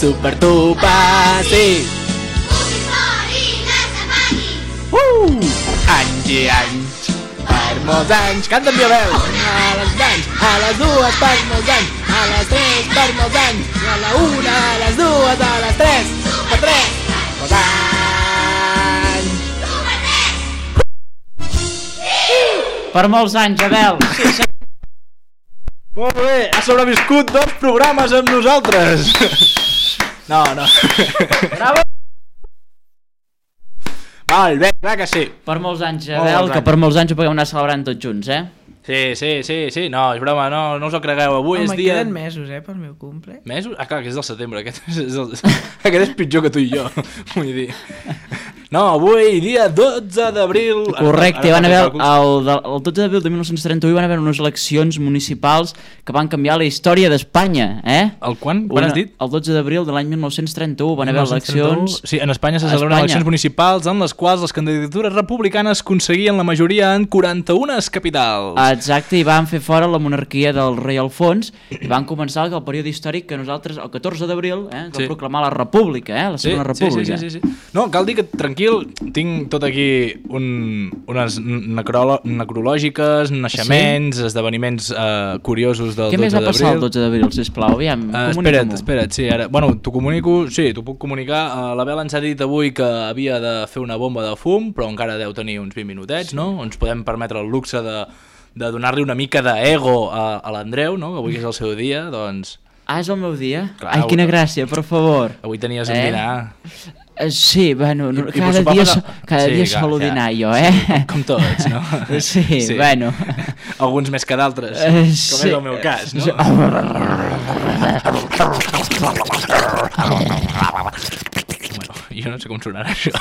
Supertupa, sí. Anys i anys, per molts anys. Canta amb violel. A les anys, a les dues per molts anys, a les tres per molts anys, i a la una, a les dues, a les tres, per tres, molts anys. Per molts anys, Abel. Sí. Molt bé, ha sobreviscut 2 programes amb nosaltres. No. Bravo. Molt bé, clar que sí. Per molts anys, Abel, que per molts anys ho puguem anar celebrant tots junts, Sí, no, és broma, no us ho cregueu. Avui és dia... queden mesos, pel meu cumple. Mesos? Ah, clar, que és del setembre, aquest és pitjor que tu i jo, vull dir. No, avui, dia 12 d'abril... Correcte, van haver el 12 d'abril de 1931 van haver unes eleccions municipals que van canviar la història d'Espanya, El quan? Quan has dit? El 12 d'abril de l'any 1931 van haver eleccions... Sí, en Espanya se celebren eleccions municipals en les quals les candidatures republicanes aconseguien la majoria en 41 capitals. Exacte, i van fer fora la monarquia del rei Alfons i van començar el període històric que nosaltres, el 14 d'abril, es va proclamar la república, la segona república. Sí. No, cal dir que, tranquil, tinc tot aquí unes necrològiques, naixements, esdeveniments curiosos del 12 d'abril. Què més va passar el 12 d'abril, sisplau? Aviam, espera't, sí, ara... Bueno, t'ho comunico, sí, t'ho puc comunicar. L'Abel ens ha dit avui que havia de fer una bomba de fum, però encara deu tenir uns 20 minutets, no? Ens podem permetre el luxe de donar-li una mica d'ego a l'Andreu, no? Que avui és el seu dia, doncs... Ah, és el meu dia? Clar, ai, quina gràcia, per favor. Avui tenies un dinar. Sí, bueno, cada dia solo dinar jo, Com tots, no? Sí, bueno. Alguns més que d'altres, com és el meu cas, no? Jo no sé com sonarà això.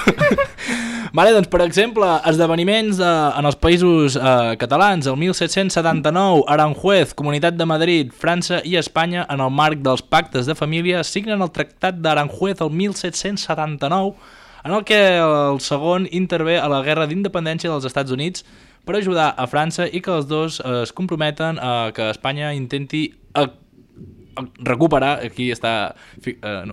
Vale, doncs, per exemple, esdeveniments en els països catalans. El 1779, Aranjuez, Comunitat de Madrid, França i Espanya, en el marc dels pactes de família, signen el Tractat d'Aranjuez el 1779, en el que el segon intervé a la Guerra d'Independència dels Estats Units per ajudar a França i que els dos es comprometen a que Espanya intenti recuperar, aquí està,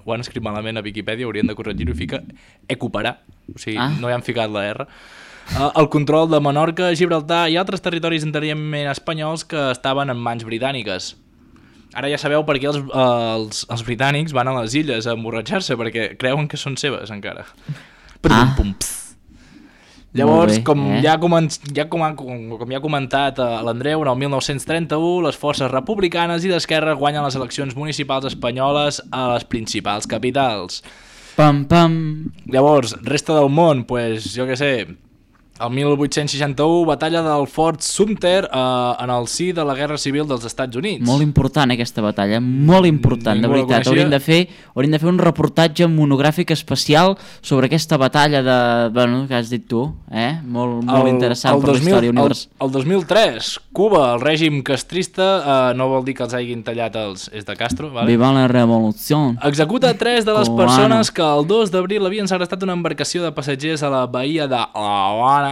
ho han escrit malament a Viquipèdia, haurien de corregir-ho, i fica equiparar, o sigui, no hi han ficat la R, el control de Menorca, Gibraltar i altres territoris anteriorment espanyols que estaven en mans britàniques. Ara ja sabeu per què els britànics van a les illes a emborratxar-se, perquè creuen que són seves encara. Llavors, com ja ha comentat l'Andreu, en el 1931 les forces republicanes i d'esquerra guanyen les eleccions municipals espanyoles a les principals capitals. Llavors, resta del món, pues, jo què sé, el 1861, batalla del Fort Sumter en el si de la Guerra Civil dels Estats Units. Molt important aquesta batalla, molt important, de veritat. Hauríem de fer un reportatge monogràfic especial sobre aquesta batalla que has dit tu, molt interessant per la història universal. El 2003, Cuba, el règim castrista, no vol dir que els hagin tallat és de Castro, vale? Viva la revolució. Executa 3 de les persones que el 2 d'abril havien segrestat una embarcació de passatgers a la bahia de La Habana.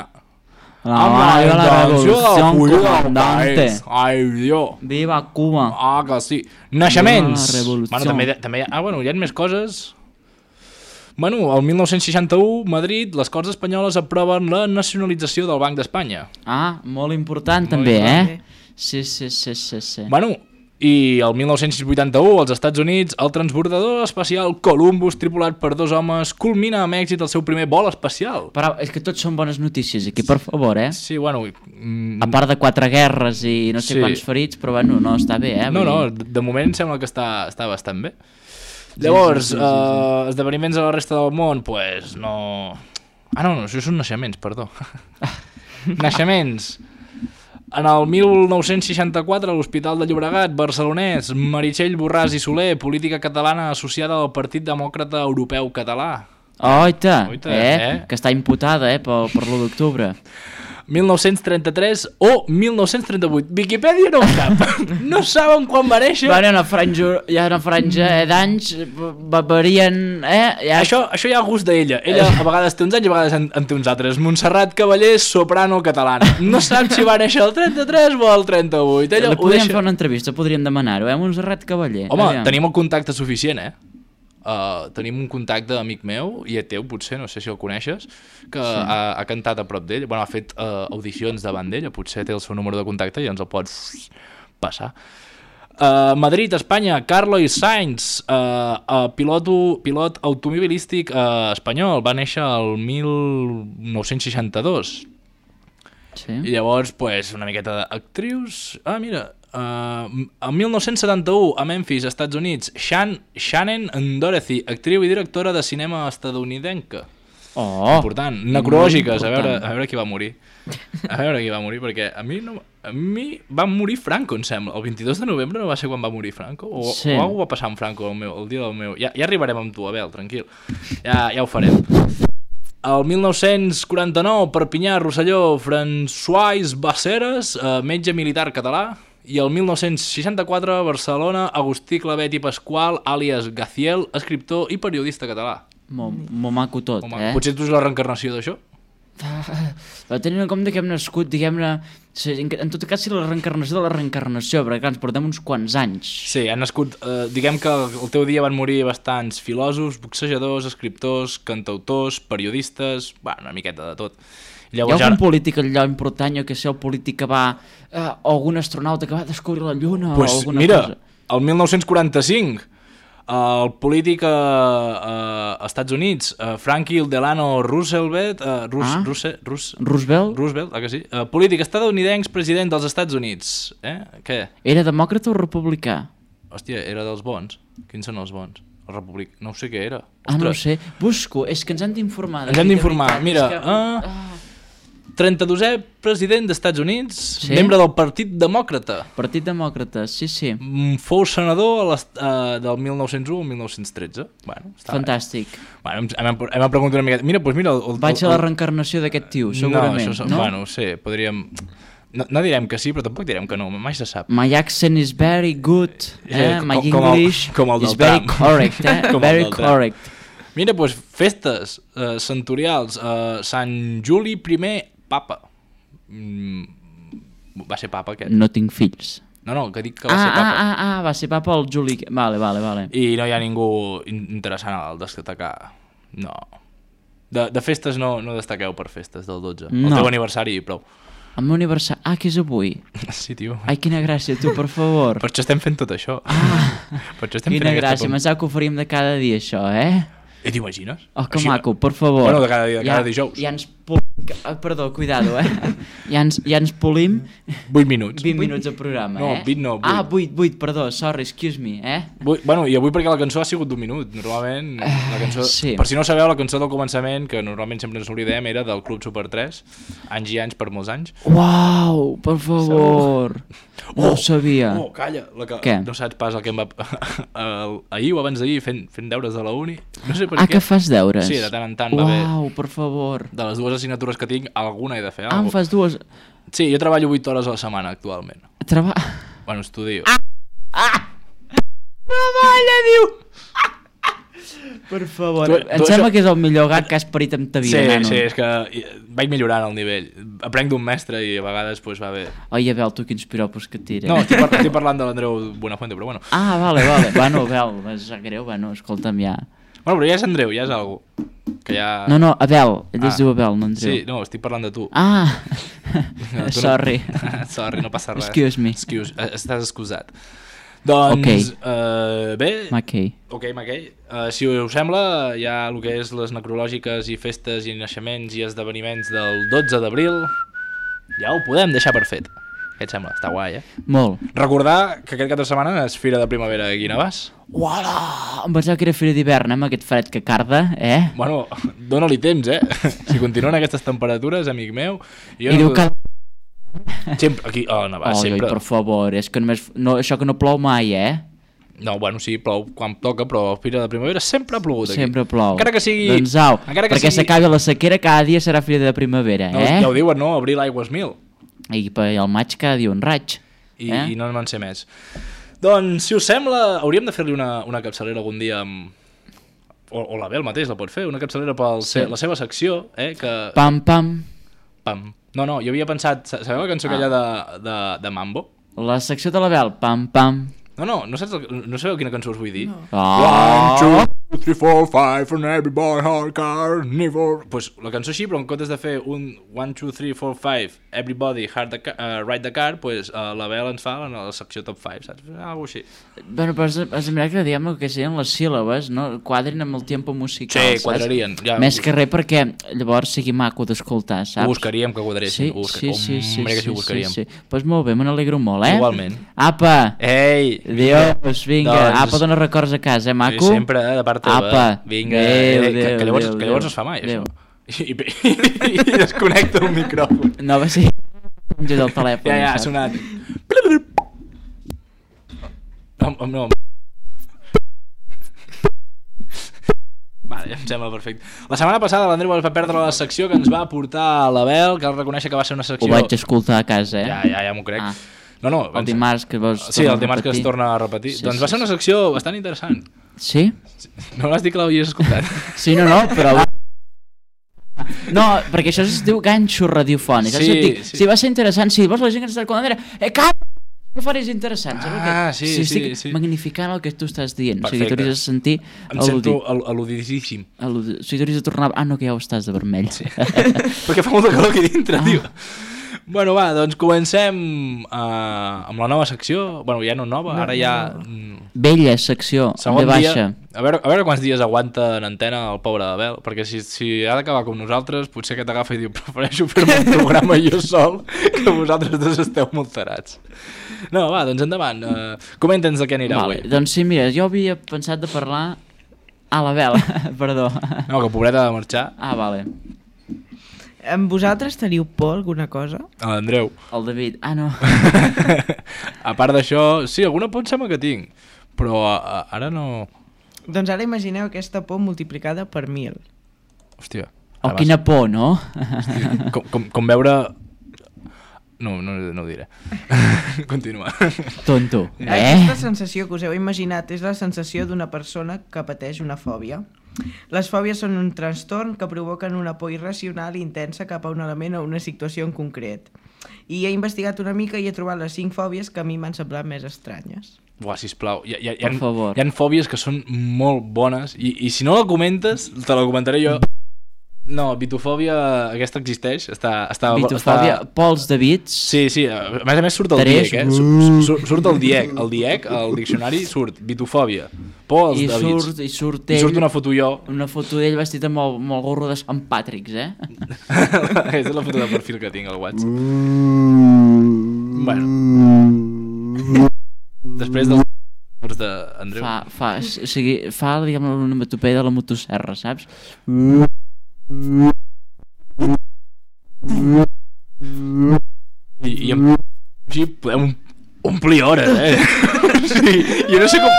La revolució, comandante. Ai, Dios. Viva Cuba. Ah, que sí. Naixements. També hi ha més coses. Bueno, el 1961, Madrid, les Corts Espanyoles aproven la nacionalització del Banc d'Espanya. Ah, molt important també, Sí. Bueno, i el 1981, als Estats Units, el transbordador espacial Columbus, tripulat per 2 homes, culmina amb èxit el seu primer vol espacial. Però és que tots són bones notícies aquí, per favor, Sí, bueno... A part de 4 guerres i no sé quants ferits, però bueno, no, està bé, No, de moment sembla que està bastant bé. Llavors, esdeveniments a la resta del món, pues no... no, això són naixements, perdó. Naixements. En el 1964, a l'Hospital de Llobregat, barcelonès, Meritxell Borràs i Soler, política catalana associada al Partit Demòcrata Europeu Català. Oita, que està imputada per l'1 d'octubre. 1933 o 1938. Viquipèdia no ho sap. No saben quan va néixer. Hi ha una franja d'anys, varien... Això ja a gust d'ella. Ella a vegades té uns anys i a vegades en té uns altres. Montserrat Cavallers, soprano catalana. No sap si va néixer el 33 o el 38. Podríem fer una entrevista, podríem demanar-ho, Montserrat Cavaller. Home, tenim el contacte suficient, tenim un contacte amic meu, i teu potser, no sé si el coneixes, que ha cantat a prop d'ell, ha fet audicions davant d'ell, potser té el seu número de contacte i ens el pots passar. Madrid, Espanya, Carlos Sainz, pilot automobilístic espanyol, va néixer el 1962. Sí. I llavors, una miqueta d'actrius. Mira, el 1971 a Memphis, Estats Units, Shannon Doherty, actriu i directora de cinema estadounidenca. Important. Necrològiques, a veure qui va morir. Perquè a mi va morir Franco, em sembla. El 22 de novembre no va ser quan va morir Franco? O algú va passar amb Franco el dia del meu... Ja arribarem amb tu, Abel, tranquil. Ja ho farem. El 1949, Perpinyà, Rosselló, François Basseres, metge militar català. I el 1964, Barcelona, Agustí Clavet i Pasqual, àlies Gaciel, escriptor i periodista català. Molt maco tot, Potser tu és la reencarnació d'això? Tenint en compte que hem nascut, diguem-ne, en tot cas, la reencarnació de la reencarnació, perquè clar, ens portem uns quants anys. Sí, han nascut, diguem que el teu dia van morir bastants filòsofs, boxejadors, escriptors, cantautors, periodistes, una miqueta de tot. Llavors, hi ha algun polític allò important, que sé, el polític que va, o algun astronauta que va descobrir la Lluna, o alguna cosa. El 1945, el polític a Estats Units, Franklin Delano Roosevelt, Roosevelt, que sí? Polític estadounidenc, president dels Estats Units. Què? Era demòcrata o republicà? Hòstia, era dels bons. Quins són els bons? El republicà, no ho sé què era. No ho sé. Busco, és que ens han d'informar. Ens hem d'informar, mira... 32è president dels Estats Units, membre del Partit Demòcrata. Partit Demòcrata, sí. Fou senador del 1901 al 1913. Fantàstic. Hem preguntat una miqueta. Mira, vaig a la reencarnació d'aquest tio, segurament. No sé, podríem... No direm que sí, però tampoc direm que no, mai se sap. My accent is very good, my English is very correct, very correct. Mira, festes centurials, Sant Juli I Papa. Va ser papa aquest? No tinc fills. No, que dic que va ser papa. Va ser papa el Juli... Vale. I no hi ha ningú interessant al destacar. No. De festes no destaqueu per festes del 12. El teu aniversari i prou. El meu aniversari... que és avui. Sí, tio. Ai, quina gràcia, tu, per favor. Per això estem fent tot això. Quina gràcia, pensava que ho faríem de cada dia, això, I t'imagines? Que maco, per favor. Bueno, de cada dijous. Ja ens perdó, cuidado, Ja ens polim 8 minuts. 20 minuts de programa, No, 20 no, 8. 8, perdó, sorry, excuse me, I avui perquè la cançó ha sigut d'1 minut. Normalment, la cançó... Sí. Per si no sabeu, la cançó del començament, que normalment sempre ens oblidem, era del Club Super 3, anys i anys per molts anys. Uau, per favor. No ho sabia. Calla, Què? No saps pas el que em va... ahir o abans d'ahir fent deures de la uni. No sé per què. Que fas deures? Sí, de tant en tant va bé. Uau, per favor. De les 2 assignatures que tinc, alguna he de fer. Em fas 2? Sí, jo treballo 8 hores a la setmana actualment. Bueno, estudio. Treballa, diu! Per favor, em sembla que és el millor gag que has parit amb ta vida, nano. Sí, és que vaig millorant el nivell. Aprenc d'un mestre i a vegades va bé. Oi, Abel, tu quins piropos que et tires. No, estic parlant de l'Andreu Buenafuente, però bueno. Vale. Bueno, Abel, és greu, escolta'm ja. Bueno, però ja és Andreu, ja és algú. Que ja... No, Abel, ell es diu Abel, no Andreu. Sí, no, estic parlant de tu. Sorry. Sorry, no passa res. Excuse me. Estàs excusat. Doncs, bé... Mackay. Si us sembla, ja el que és les necrològiques i festes i naixements i esdeveniments del 12 d'abril, ja ho podem deixar per fet. Què et sembla? Està guai, Molt. Recordar que aquest cap de setmana és Fira de Primavera a Guinavàs. Uala! Em pensava que era Fira d'hivern, amb aquest fred que carda, Bueno, dóna-li temps, Si continuen aquestes temperatures, amic meu... I diu que... Sempre, aquí, Navàs, sempre... Per favor, és que només... això que no plou mai, No, bueno, sí, plou quan toca, però a Fira de Primavera sempre ha plogut aquí. Sempre plou. Encara que sigui... Doncs au, perquè s'acabi la sequera, cada dia serà Fira de Primavera, Ja ho diuen, no? Abril aigües mil. I el maig cada dia un raig. I no en sé més. Doncs, si us sembla, hauríem de fer-li una capçalera algun dia amb... O la Bel mateix la pot fer, una capçalera per la seva secció, que... Pam, pam. Pam. No, jo havia pensat... Sabeu la cançó aquella de Mambo? La secció de la Bel, pam, pam. No sabeu quina cançó us vull dir? No. 3, 4, 5 from every boy, hard car, never... Pues la cançó així, però en comptes de fer un 1, 2, 3, 4, 5, everybody, ride the car, pues la Bel ens fa la secció top 5, saps? Algo així. Bueno, però has de mirar que diguem que serien les síl·labes, no? Quadrin amb el tempo musical, sí, quadrarien. Ja, més que res perquè llavors sigui maco d'escoltar, saps? Ho buscaríem que quadressin. Sí. Pues molt bé, me n'alegro molt, Igualment. Apa! Ei! Adiós, vinga. Doncs... Apa, dona records a casa, maco? Sempre, de part teva. Apa! Vinga, que llavors es fa mai, Déu. això. I desconnecta el micròfon. No, va ser... del telèfon. Ja, ha sonat. No. Vale, em sembla perfecte. La setmana passada l'Andreu va perdre la secció que ens va portar a l'Abel, que cal reconèixer que va ser una secció... Ho vaig escoltar a casa, Ja m'ho crec. No, el dimarts que vols sí, el dimarts que es torna a repetir. Sí, doncs va ser una secció bastant interessant. Sí? No vas dir que l'havies escoltat? Sí, no, però... No, perquè això es diu ganxo radiofònic. Sí, va ser interessant. Sí, vols la gent que està escoltant era... que faries interessant, saps? Sí. Estic magnificant el que tu estàs dient. Perfecte. O sigui, tu hauries de sentir... Em sento al·ludidíssim. O sigui, tu hauries de tornar... No, que ja ho estàs de vermell. Sí. Perquè fa molta calor aquí dintre, tio. Bueno, va, doncs comencem amb la nova secció. Bueno, ja no nova, ara ja... Vella secció, segon de baixa. Dia, a veure quants dies aguanta en antena el pobre Abel, perquè si ha d'acabar com nosaltres, potser que t'agafa i diu prefereixo fer-me un programa jo sol que vosaltres dos esteu molt tarats. No, va, doncs endavant. Comenta'ns de què anirà avui. Doncs sí, mira, jo havia pensat de parlar... l'Abel, perdó. No, que pobreta ha de marxar. Vale. Vosaltres teniu por alguna cosa? L'Andreu. El David. No. A part d'això, sí, alguna por em sembla que tinc, però ara no... Doncs ara imagineu aquesta por multiplicada per 1000. Hòstia. Quina por, no? Hòstia, com veure... No ho diré. Continua. Tonto. Aquesta sensació que us heu imaginat és la sensació d'una persona que pateix una fòbia. Les fòbies són un trastorn que provoquen una por irracional i intensa cap a un element o una situació en concret. I he investigat una mica i he trobat les 5 fòbies que a mi m'han semblat més estranyes. Buah, sisplau, hi Per favor. ha fòbies que són molt bones i si no la comentes, te la comentaré jo. No, bitofòbia, aquesta existeix. Bitofòbia, pols de bits. Sí, a més surt el DIEC, surt el DIEC. El DIEC, al diccionari, surt bitofòbia, pols de bits. I surt ell, una foto jo. Una foto d'ell vestit amb el gorro de Sant Patrick's, Aquesta és la foto de perfil que tinc al WhatsApp. Bueno. Després dels d'Andreu. Fa diguem, una onomatopeia de la motosserra, saps? I amb així podem omplir hores, Sí, jo no sé com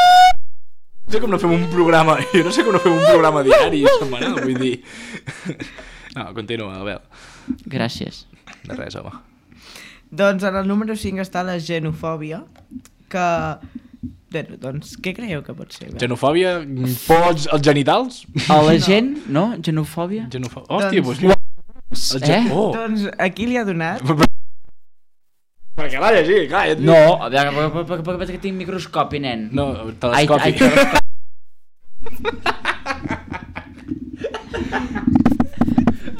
no fem un programa diari setmanal, vull dir. No, continua, Abel. Gràcies. De res, home. Doncs en el número 5 està la genofòbia, que... Bueno, doncs, què creieu que pot ser? Genofòbia? Pots els genitals? A la gent, no? Genofòbia? Hòstia, doncs mira. Doncs aquí li ha donat... Perquè l'ha llegit, clar. No, perquè tinc microscopi, nen. No, telescopi.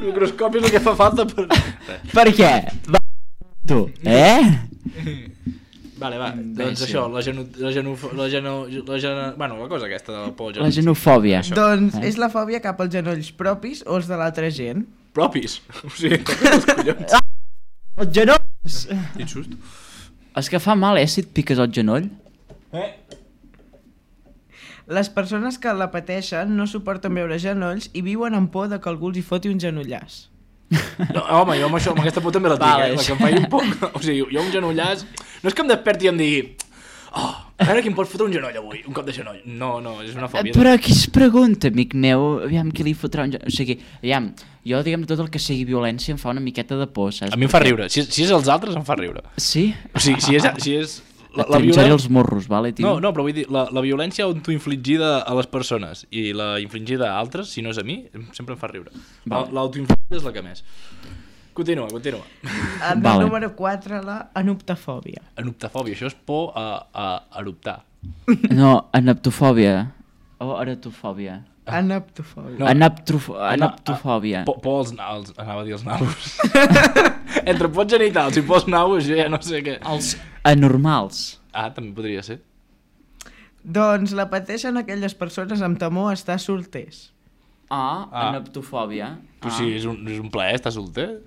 Microscopi és el que fa falta per... Per què? Tu, Vale, va, doncs això, bueno, la cosa aquesta del por la genofòbia. Doncs és la fòbia cap als genolls propis o els de l'altra gent. Propis? O sigui, els collons. Els genolls! Quin sust. És que fa mal, si et piques el genoll. Les persones que la pateixen no suporten veure genolls i viuen amb por de que algú els hi foti un genollàs. No, home, jo amb aquesta por també la tinc, la que em faci un poc... O sigui, jo un genollàs... No és que em desperti i em digui... a veure qui em pot fotre un genoll avui, un cop de genoll. No, és una fòbia. Però qui es pregunta, amic meu, aviam qui li fotrà un genoll... O sigui, aviam, jo diguem tot el que sigui violència em fa una miqueta de por, saps? A mi em fa riure, si és els altres em fa riure. Sí? O sigui, si és La trinxaré els morros, vale, tio? No, però vull dir, la violència autoinfligida a les persones i la infligida a altres, si no és a mi, sempre em fa riure. L'autoinfligida és la que més. Continua. El número 4, la anoptafòbia. Anoptafòbia, això és por a eruptar. No, anaptofòbia. o eretofòbia? Anaptofòbia. Anaptofòbia. Pols naus, anava a dir els naus. Entre pols genitals i pols naus, jo ja no sé què. Els anormals. També podria ser. Doncs la pateixen aquelles persones amb temor a estar solters. Anaptofòbia. Però sí, és un plaer estar solter.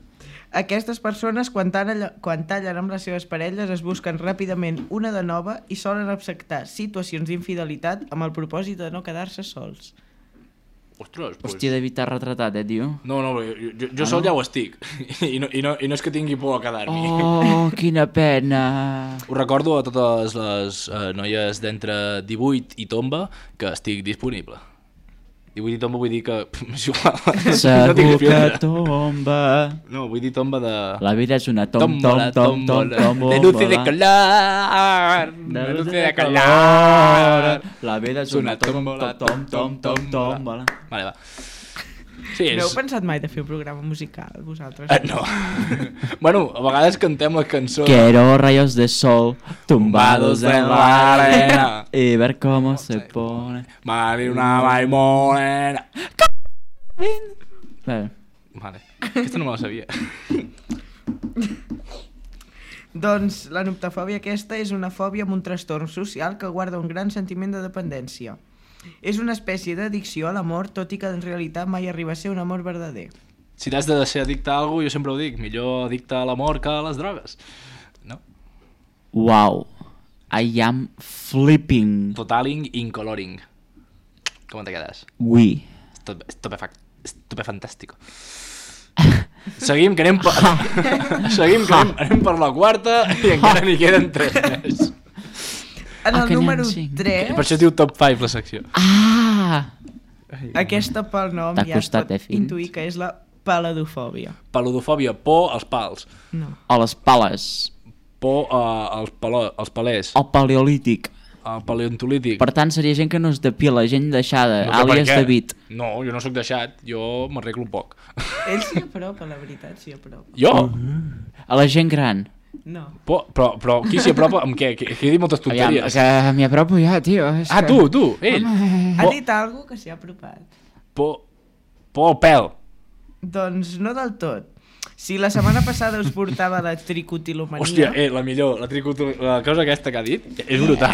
Aquestes persones, quan tallen amb les seves parelles, es busquen ràpidament una de nova i solen acceptar situacions d'infidelitat amb el propòsit de no quedar-se sols. Ostres, pues... Hòstia, d'evitar retratat, tio? No, jo sol ja ho estic. I no és que tingui por a quedar-m'hi. Oh, quina pena. Us recordo a totes les noies d'entre 18 i tomba que estic disponible. 18 i tomba vull dir que... és igual. Segur que tomba. No, vull dir tomba de... La vida és una tombola. De luz y de color. De luz y de color. La vida és una tombola. Vale, va. Sí, No heu pensat mai de fer un programa musical, vosaltres? No. Bueno, a vegades cantem la cançó... Quiero rayos de sol tumbados en la arena y ver cómo se pone. Vale, una morena. Vale, aquesta no me la sabia. Doncs la nuptofòbia aquesta és una fòbia amb un trastorn social que guarda un gran sentiment de dependència. És una espècie d'addicció a l'amor, tot i que en realitat mai arriba a ser un amor verdader. Si t'has de ser addicte a alguna cosa, jo sempre ho dic, millor addicte a l'amor que a les drogues. No? Wow, I am flipping. Totaling incoloring. ¿Cómo te quedas? Oui. Estupefantàstico. Seguim, que anem per la quarta i encara n'hi queden 3 més. En el número 3... Per això es diu Top 5 la secció. Aquesta pel nom ja es pot intuir que és la paladofòbia. Paludofòbia, por als pals. No. A les pales. Por als palers. El paleolític. El paleontolític. Per tant, seria gent que no es depila, gent deixada, No sé àlies per què. David. No, jo no sóc deixat, jo m'arreglo poc. Ell s'hi apropa, la veritat, s'hi apropa. Jo? A la gent gran. No. Però qui s'hi apropa amb què? Que he dit moltes tonteries. Aviam, que m'hi apropo ja, tio. Tu, ell. Ha dit algú que s'hi ha apropat. Por al pèl. Doncs no del tot. Si la setmana passada us portava la tricotilomania... Hòstia, la millor, la cosa aquesta que ha dit és brutal.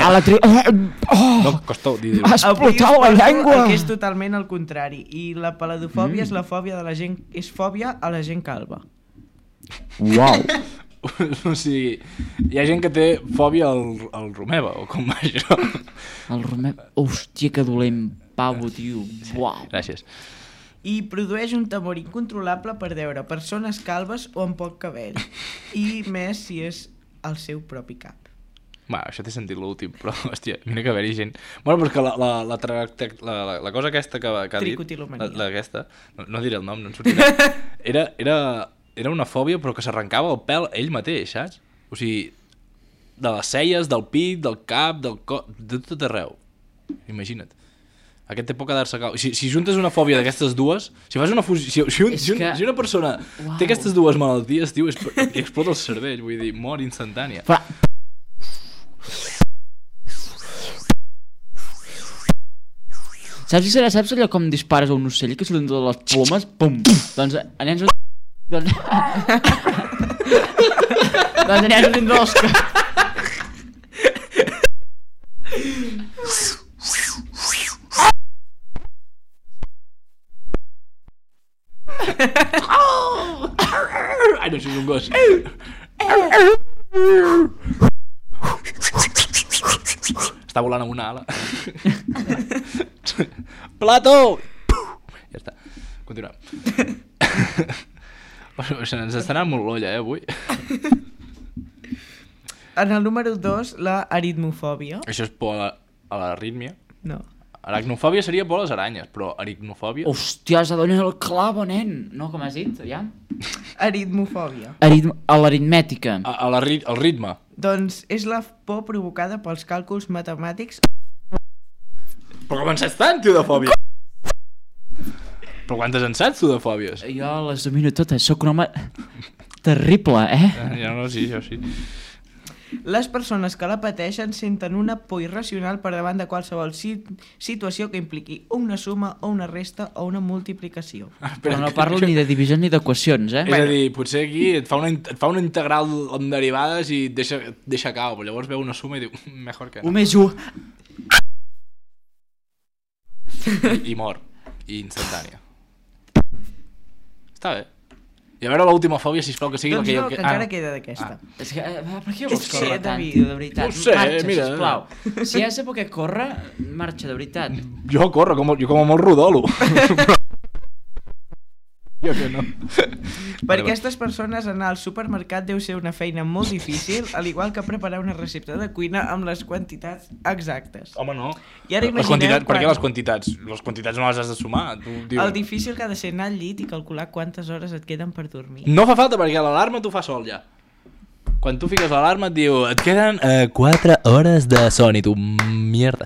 No, costa dir-ho. Has explotat la llengua! Que és totalment el contrari. I la paladofòbia és la fòbia de la gent... És fòbia a la gent calva. Uau! O sigui, hi ha gent que té fòbia al Romeva, o com va això? El Romeva... Hòstia, que dolent, pavo, tio. Uau! Gràcies. I produeix un temor incontrolable per veure persones calves o amb poc cabell. I més si és el seu propi cap. Això t'he sentit l'últim, però, hòstia, mira que haver-hi gent... Bueno, però que la cosa aquesta que ha dit... Tricotilomania. Aquesta, no diré el nom, no en sortirà. Era una fòbia, però que s'arrencava el pèl ell mateix, saps? O sigui, de les celles, del pit, del cap, del cos... De tot arreu. Imagina't. Aquest té por quedar-se calb. Si juntes una fòbia d'aquestes dues, si fas una fusió... Si una persona té aquestes dues malalties, tio, i explota el cervell, vull dir, mort instantània. Saps allò com dispares a un ocell que surten totes les plomes? Pum! Doncs anem... Doncs anem sortint dos... Ai, no, això és un gos. Està volant amb una ala. Plató! Ja està. Continuem. Ens està anant molt l'olla, avui. En el número 2, la aritmofòbia. Això és por a l'arrítmia. No. Aracnofòbia seria por a les aranyes, però aritmofòbia... Hòstia, has de donar el clavo, nen! No, com has dit, ja? Aritmofòbia. A l'aritmètica. Al ritme. Doncs és la por provocada pels càlculs matemàtics. Però com en saps tant, tio, de fòbia? Però quantes en saps, tu, de fòbies? Jo les domino totes, sóc un home terrible, eh? Ja no, sí, jo sí. Les persones que la pateixen senten una por irracional per davant de qualsevol situació que impliqui una suma o una resta o una multiplicació. Però no parlo ni de divisions ni d'equacions, És a dir, potser aquí et fa una integral amb derivades i et deixa cau, però llavors veu una suma i diu, mejor que no. 1 més 1. I mor. I instantània. Està bé. I a veure l'última fòbia, sisplau, que sigui Doncs la que... no, que encara queda d'aquesta. És que, per què vols És que, córrer tant, David, tio, de veritat? no ho sé, Marxa, mira. sisplau. Si has de poder córrer, marxa, de veritat. Jo corro, jo com a molt rodolo. Jo que no. Per aquestes persones anar al supermercat deu ser una feina molt difícil, al igual que preparar una recepta de cuina amb les quantitats exactes. Home, no. I ara Les imagineu quantitats, per què quan- les quantitats? Les quantitats no les has de sumar. Tu, El difícil que ha de ser anar al llit i calcular quantes hores et queden per dormir. No fa falta perquè l'alarma t'ho fa sol ja. Quan tu fiques l'alarma et diu et queden 4 hores de son i tu, mierda.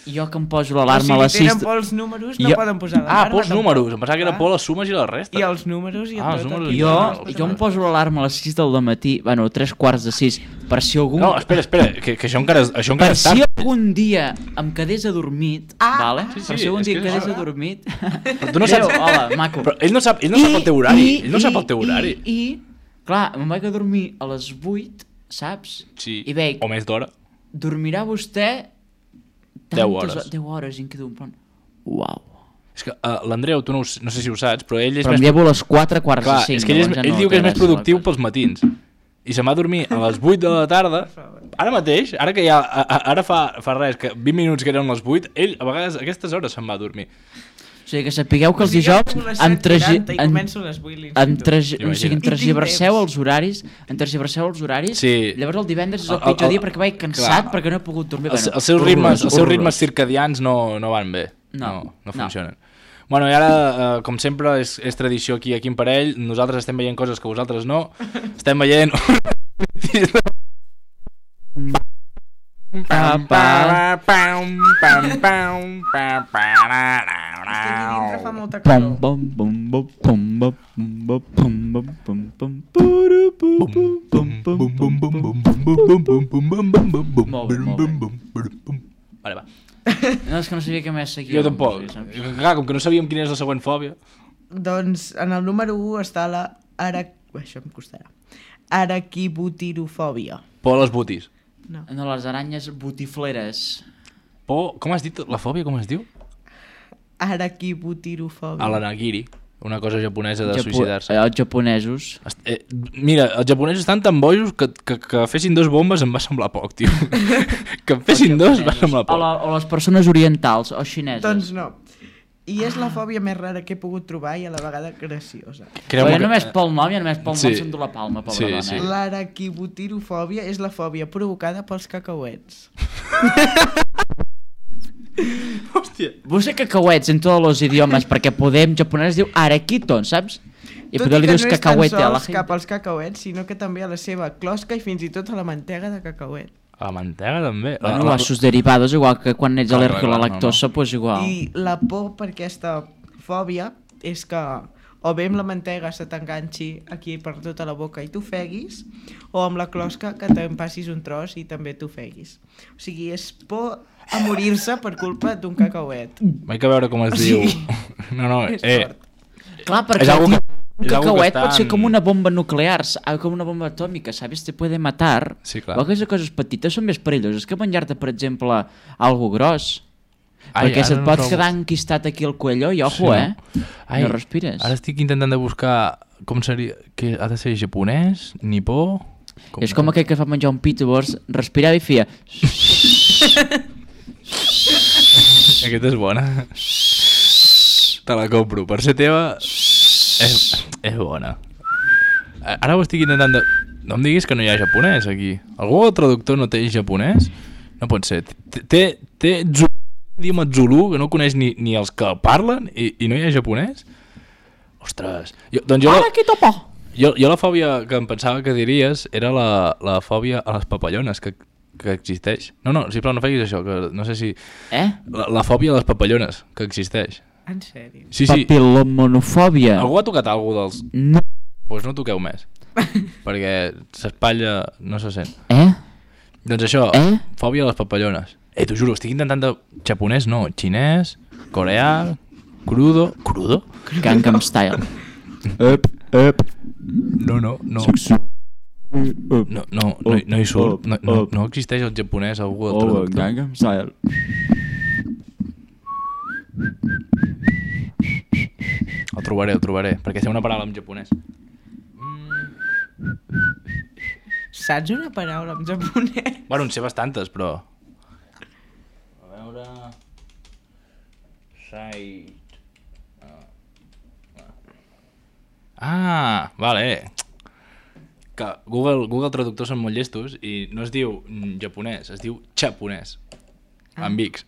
Jo que em poso l'alarma a les 6... tenen por els números no poden posar l'alarma. por els tampoc. números. Em pensava que era Clar. por les sumes i les restes. I els números i Ah, els tot. números aquí. i Jo em poso l'alarma a les 6 del matí, bueno, 3:15, per si algun... No, espera, que això encara Per és si tard. algun dia em quedés adormit, vale? Sí, sí, Per si algun és dia que quedés és- adormit... Però tu no saps... Adéu, hola, maco. Però ell no sap el teu horari. Ell no sap el teu horari. I, clar, me'n vaig a dormir a les 8, saps? Sí, I veig, o més d'hora. dormirà vostè... 10 hores. 10 hores, i em quedo en plan... Uau. És que l'Andreu, tu no sé si ho saps, però ell és Però em més... llevo a les 4:45. Clar, és que ell diu que és més productiu pels matins. I se'n va a dormir a les 8 de la tarda. Ara mateix, ara que ja... Ara fa res, que 20 minuts que eren les 8, ell a vegades a aquestes hores se'n va a dormir. O sigui, que sapigueu que els dijous em tergiverseu els horaris, Sí. llavors el divendres és el pitjor dia perquè vaig cansat, perquè no he pogut dormir. Els seus ritmes circadians no van bé. No funcionen. Bueno, i ara, com sempre, és tradició aquí en Parell. Nosaltres estem veient coses que vosaltres no. Estem veient... Dintre fa molta Pom, calor. pom, pom, pom, pom, pom, pom, pom, pom, pom, puru, pum, pum, pum, pum. Vale, va. No, és que no sabia què més seguia. Jo tampoc. Clar, com que no sabíem quina és la següent fòbia. Doncs en el número 1 està la això em costarà. Araquibutirofòbia. Por a les botis. No. No, les aranyes botifleres. Por... Com has dit la fòbia? Com es diu? Araquibutirofòbia. A l'anagiri. Una cosa japonesa de suïcidar-se. Els japonesos. Mira, els japonesos estan tan bojos que fessin 2 bombes em va semblar poc, tio. Que en fessin 2 va semblar poc. O les persones orientals o xineses. Doncs no. I és la fòbia més rara que he pogut trobar i a la vegada graciosa. Però ja només pel nom, ja només pel nom Sí. s'endú la palma, pobra Sí, dona. sí. L'araquibutirofòbia és la fòbia provocada pels cacauets. Hòstia. Vos sé cacauets en tots els idiomes, perquè Podem japonès diu araquiton, saps? I Tot poder li i que dius no és tan cacauete a la sols gent. cap als cacauets, sinó que també a la seva closca i fins i tot a la mantega de cacauet. A la mantega també. Bueno, a sus derivados, igual que quan ets Clar, al·lèrgic a la clar, lactosa, pues igual. I la por per aquesta fòbia és que o bé amb la mantega se t'enganxi aquí per tota la boca i t'ofeguis, o amb la closca que te'n passis un tros i també t'ofeguis. O sigui, és por a morir-se per culpa d'un cacauet. Vaig a veure com es diu. No, És fort. Clar, És perquè algo un és algo que cacauet està pot ser en- com una bomba nuclear, com una bomba atòmica, ¿sabes? Te puede matar. Sí, clar. Igual que les coses petites són més perilloses que menjar-te, per exemple, algo gros. Perquè ara se't no pot trobo. quedar enquistat aquí al cuello i ojo, no respires. Ara estic intentant de buscar com seria... Que ha de ser japonès, nipó... És com aquell que fa menjar un pit, llavors respirava i feia... Aquesta és bona. Te la compro. Per ser teva, és bona. Ara ho estic intentant de... No em diguis que no hi ha japonès aquí. Algú traductor no té japonès? No pot ser. Té idioma Zulu, que no coneix ni els que el parlen, i no hi ha japonès? Ostres. Jo la fòbia que em pensava que diries era la fòbia a les papallones, que existeix. No, sisplau, no feguis això, que no sé si... La fòbia a les papallones, que existeix. En sèrio? Sí. Papilomonofòbia. Algú ha tocat alguna dels... No. Doncs no toqueu més. perquè s'espatlla, no se sent. Doncs això, fòbia a les papallones. T'ho juro, estic intentant de japonès, no, xinès, coreà, crudo... Gangnam Style. No. No hi surt. No existeix el japonès a Google Traductor. Gangnam Style. El trobaré, perquè sé una paraula en japonès. Saps una paraula en japonès? Bueno, en sé bastantes, però... A veure... Vale. Que Google Traductor són molt llestos i no es diu japonès, es diu xaponès. Amb X.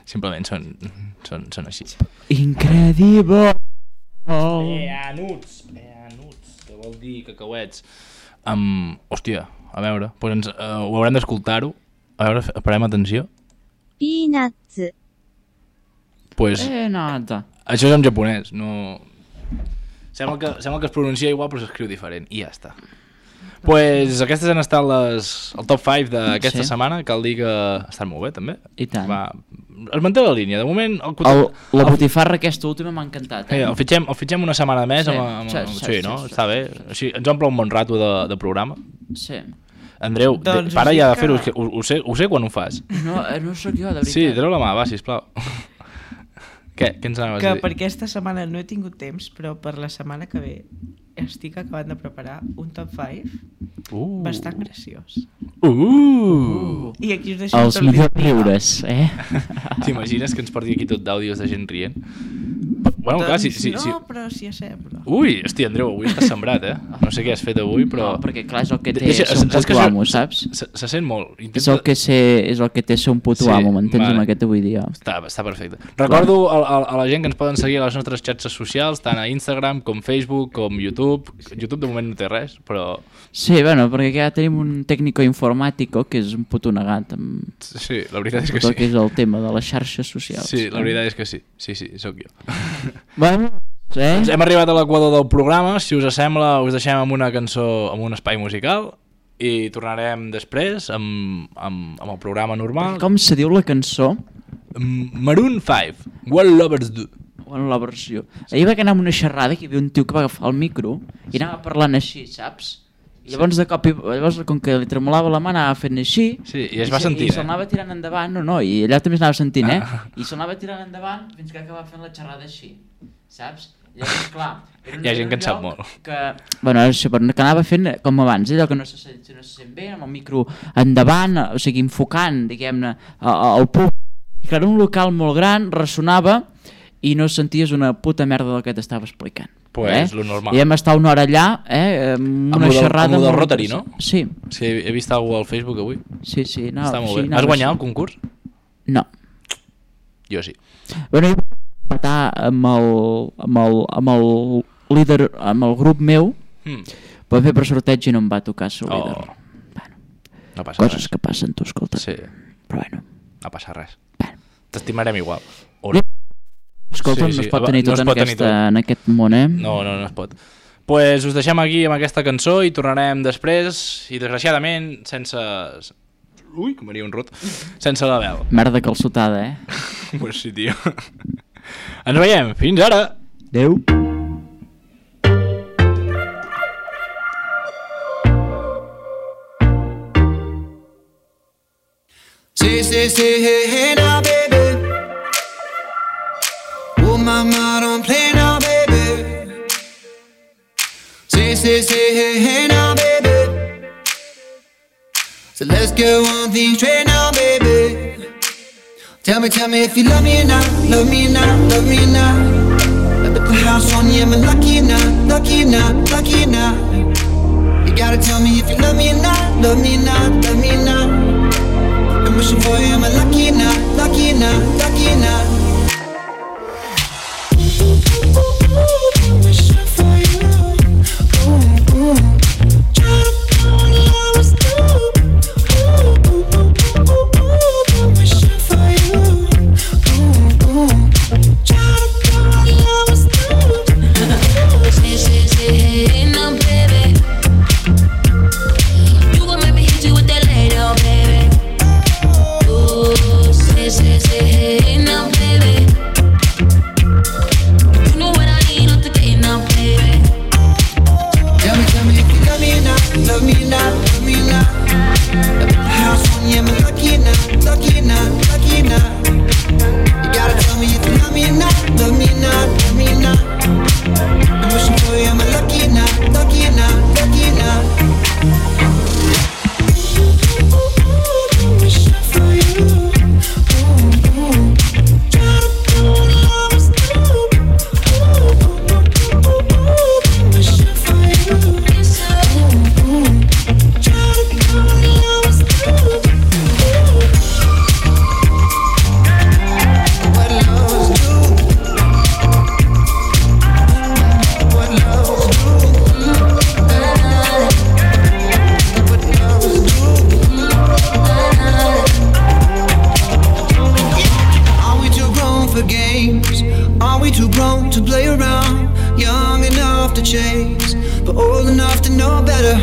Simplement són així. Incredible! Nuts, que vol dir cacauets. Hòstia, a veure, doncs ho haurem d'escoltar-ho. A veure, parem atenció. Peanuts. Pues, nada. això és en japonès, no... Sembla que es pronuncia igual però s'escriu diferent i ja està. Pues aquestes han estat el top 5 d'aquesta setmana. Cal dir que ha estat molt bé també. I tant. Es manté la línia, de moment... La botifarra aquesta última m'ha encantat. El fitxem una setmana més. Sí, no? Està bé. Així ens omple un bon rato de programa. Sí. Andreu, para ja de fer-ho, ho sé quan ho fas. No sóc jo, de veritat. Sí, treu la mà, va, sisplau. Què ens anaves a dir? Que per aquesta setmana no he tingut temps, però per la setmana que ve estic acabant de preparar un top 5 bastant graciós. I aquí us deixo els millors riures, T'imagines que ens porti aquí tot d'àudios de gent rient? Bueno, clar, no, però sí a ser, però... Ui, hosti, Andreu, avui estàs sembrat, No sé què has fet avui, però... No, perquè clar, és el que té ser un puto amo, saps? Se sent molt. És el que té ser un puto amo, m'entens, amb aquest avui dia. Està perfecte. Recordo a la gent que ens poden seguir a les nostres xarxes socials, tant a Instagram com Facebook, com YouTube. YouTube de moment no té res, però... Sí, bueno, perquè ja tenim un tècnico informàtico que és un puto negat. Sí, la veritat és que sí. Tot que és el tema de les xarxes socials. Sí, la veritat és que sí. Sí, sóc jo. Bueno, doncs hem arribat a l'equador del programa. Si us sembla, us deixem amb una cançó, amb un espai musical i tornarem després amb el programa normal. Com se diu la cançó? Maroon 5, What Lovers Do. Bueno, la versió. Ahir vaig anar amb una xerrada que hi havia un tio que va agafar el micro i anava parlant així, saps? I llavors de cop, com que li tremolava la mà, anava fent així. Sí, i es va sentint, i se'l anava tirant endavant, i allà també s'anava sentint, i se'l anava tirant endavant fins que acabava fent la xerrada així, saps? I llavors, clar, hi ha gent que en sap molt. Bueno, això, però que anava fent com abans, allò que no se sent bé, amb el micro endavant, o sigui, enfocant, diguem-ne, el públic. I clar, un local molt gran, ressonava i no senties una puta merda del que t'estava explicant. Pues lo normal. I vam estar una hora allà, amb una xerrada... Amb el del Rotary, no? Sí. Sí, he vist algú al Facebook avui. Sí, no. Està molt bé. Has guanyat el concurs? No. Jo sí. Bueno, jo vaig matar amb el líder, amb el grup meu, però fer per sorteig i no em va tocar ser el líder. Bueno, no passa coses que passen, tu, escolta. Sí. Però bueno. No passa res. T'estimarem igual. Escolta, no es pot tenir tot en aquest món, No es pot. Pues us deixem aquí amb aquesta cançó i tornarem després, i desgraciadament sense... Ui, que m'aria un rot. Sense la veu. Merda calçotada, Pues sí, tio. Ens veiem. Fins ara. Adéu. Say, hey, now, baby. Oh, mama, don't play now, baby. Say, hey, now, baby. So let's go on things straight now, baby. Tell me if you love me or not, love me or not, love me or not. Let me put house on you, am I lucky or not, lucky or not, lucky or not? You gotta tell me if you love me or not, love me or not, love me or not. I'm wishing for you, am I lucky or not, lucky or not, lucky or not? I'm wishing for you, trying to call love is through. I'm wishing for you, trying to call love is through. Say, hey, now, baby. to know better.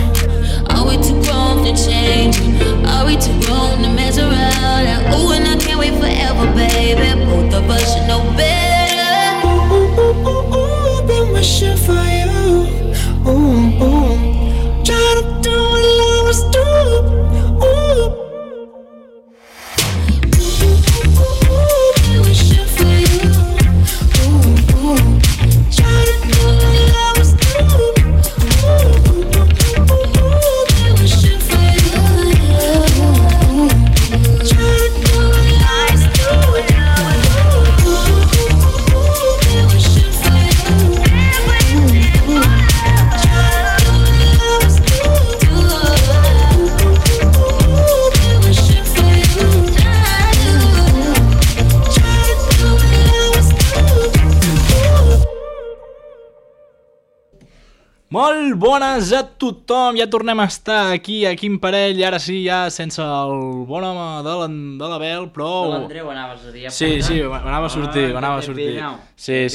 Are we too grown to change? Are we too grown to mess around? And ooh, and I can't wait forever, baby. Both of us should know better. Ooh, ooh, ooh, ooh, ooh, been wishing for you. Ooh, ooh. Trying to do what I was doing. Ooh. Been wishing for you. Ooh, ooh. Trying to do what I was doing. Been wishing for you. Trying to do what I was doing. Been wishing for you. Been wishing for you. Molt bones a tothom, ja tornem a estar aquí a Quin Parell, ara sí, ja sense el bon home de l'Abel, però... De l'Andreu anaves a dir. Sí, m'anava a sortir, Sí. A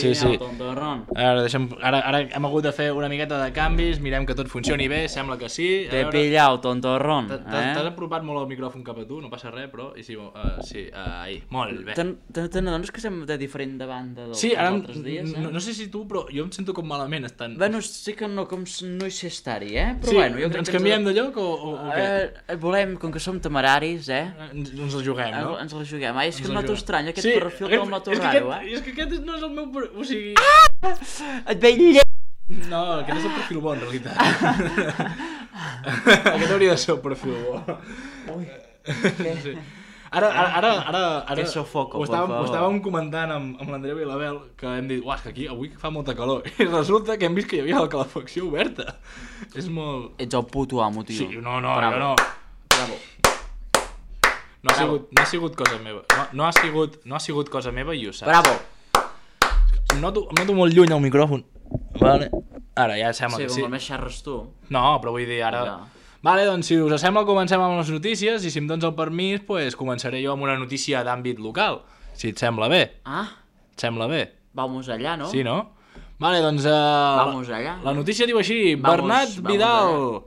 veure, ara hem hagut de fer una miqueta de canvis, mirem que tot funcioni bé, sembla que sí. T'he pillat, tontorrón. T'has apropat molt el micròfon cap a tu, no passa res, però... Sí, ahí, molt bé. Te n'adones que som de diferent de banda dels altres dies, no sé si tu, però jo em sento com malament estant... Bueno, sí que no hi sé estar-hi, Però sí, bueno, jo crec ens que canviem de lloc o què? Volem, com que som temeraris, Ens la juguem, no? Ens la juguem. És que em noto estrany, aquest perfil te'l noto raro, eh? És que aquest no és el meu... O sigui... Et veig lleig! No, aquest és el perfil bo, en realitat. Aquest hauria de ser el perfil bo. Ui. Sí. Ara que sofoco, ho estàvem comentant amb l'Andreu i l'Abel, que hem dit, uah, és que aquí avui fa molta calor, i resulta que hem vist que hi havia la calefacció oberta. És molt... Ets el puto amo, tio. Sí, no, Bravo. jo no. Bravo. No ha sigut cosa meva. No ha sigut cosa meva i ho saps. Bravo. Em noto molt lluny el micròfon. Vale. Ara ja sembla que sí. Sí, com més xerres tu. No, però vull dir, ara... Ja. Vale, doncs si us sembla comencem amb les notícies i si em dones el permís, pues, començaré jo amb una notícia d'àmbit local, si et sembla bé. Ah? Et sembla bé? Vamos allà, no? Sí, no? Vale, doncs... Vamos allà. La notícia diu així, Bernat Vidal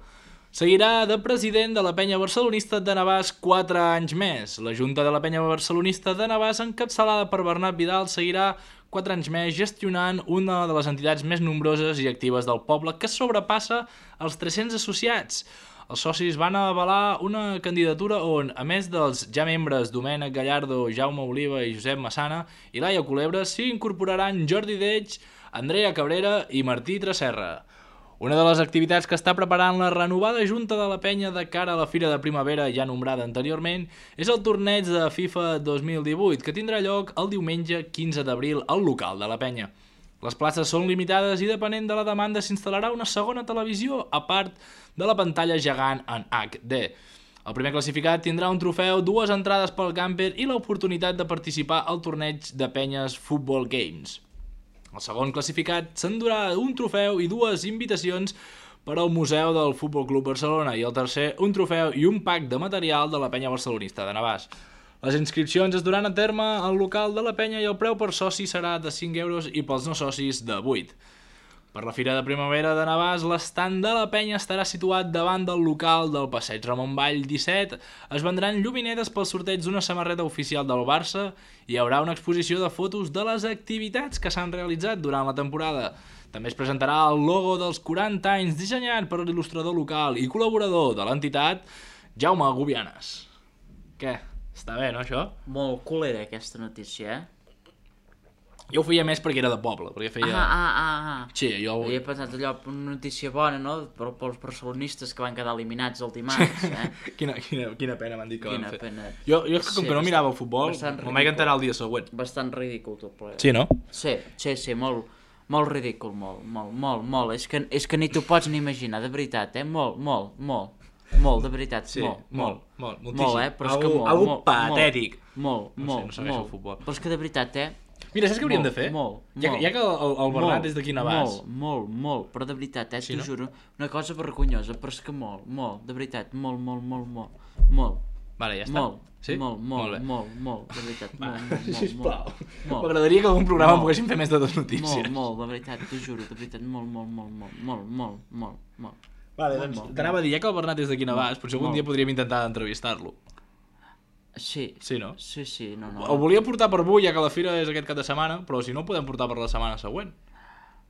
seguirà de president de la penya barcelonista de Navàs 4 anys més. La Junta de la penya barcelonista de Navàs, encapçalada per Bernat Vidal, seguirà 4 anys més gestionant una de les entitats més nombroses i actives del poble, que sobrepassa els 300 associats. Els socis van avalar una candidatura on, a més dels ja membres Domènec Gallardo, Jaume Oliva i Josep Massana i Laia Culebra, s'hi incorporaran Jordi Deix, Andrea Cabrera i Martí Tresserra. Una de les activitats que està preparant la renovada Junta de la Penya de cara a la Fira de Primavera ja nombrada anteriorment és el torneig de FIFA 2018, que tindrà lloc el diumenge 15 d'abril al local de la Penya. Les places són limitades i depenent de la demanda s'instal·larà una segona televisió a part de la pantalla gegant en HD. El primer classificat tindrà un trofeu, 2 entrades pel camper i l'oportunitat de participar al torneig de penyes Football Games. El segon classificat s'endurà un trofeu i 2 invitacions per al Museu del Futbol Club Barcelona i el tercer un trofeu i un pack de material de la penya barcelonista de Navàs. Les inscripcions es duran a terme al local de la penya i el preu per soci serà de 5 euros i pels no socis de 8. Per la Fira de Primavera de Navàs, l'estand de la penya estarà situat davant del local del Passeig Ramon Vall 17. Es vendran lluminetes pel sorteig d'una samarreta oficial del Barça i hi haurà una exposició de fotos de les activitats que s'han realitzat durant la temporada. També es presentarà el logo dels 40 anys dissenyat per l'il·lustrador local i col·laborador de l'entitat, Jaume Gubianes. Què? Està bé, no, això? Molt culera aquesta notícia, Jo ho feia més perquè era de poble, perquè feia... Sí, jo... Havia pensat allò, una notícia bona, no?, pels barcelonistes que van quedar eliminats el dimarts, Quina pena m'han dit que van fer. Pena. Jo com que no mirava el futbol, me'n vaig enterar el dia següent. Bastant ridícul tot plegat. Sí, no? Sí, molt ridícul, molt. És que ni t'ho pots ni imaginar, de veritat, molt, de veritat, sí, molt, moltíssim. Molt, però és que molt. Algo patètic. Molt. No segueixo el futbol. Però és que de veritat, Mira, saps què hauríem de fer? Ja que el Bernat és d'aquí Navàs. Molt, però de veritat, t'ho juro, una cosa vergonyosa, però és que molt, de veritat, molt. Vale, ja està. Sí? Molt, de veritat, molt. Sisplau. M'agradaria que algun programa poguéssim fer més de 2 notícies. Molt, de veritat, t'ho juro, de veritat, molt. Vale, doncs t'anava a dir, ja que el Bernat és d'aquí Navàs, potser algun dia podríem intentar entrevistar-lo. Sí. Sí, no? Sí, no. El volia portar per avui, ja que la fira és aquest cap de setmana, però si no, el podem portar per la setmana següent.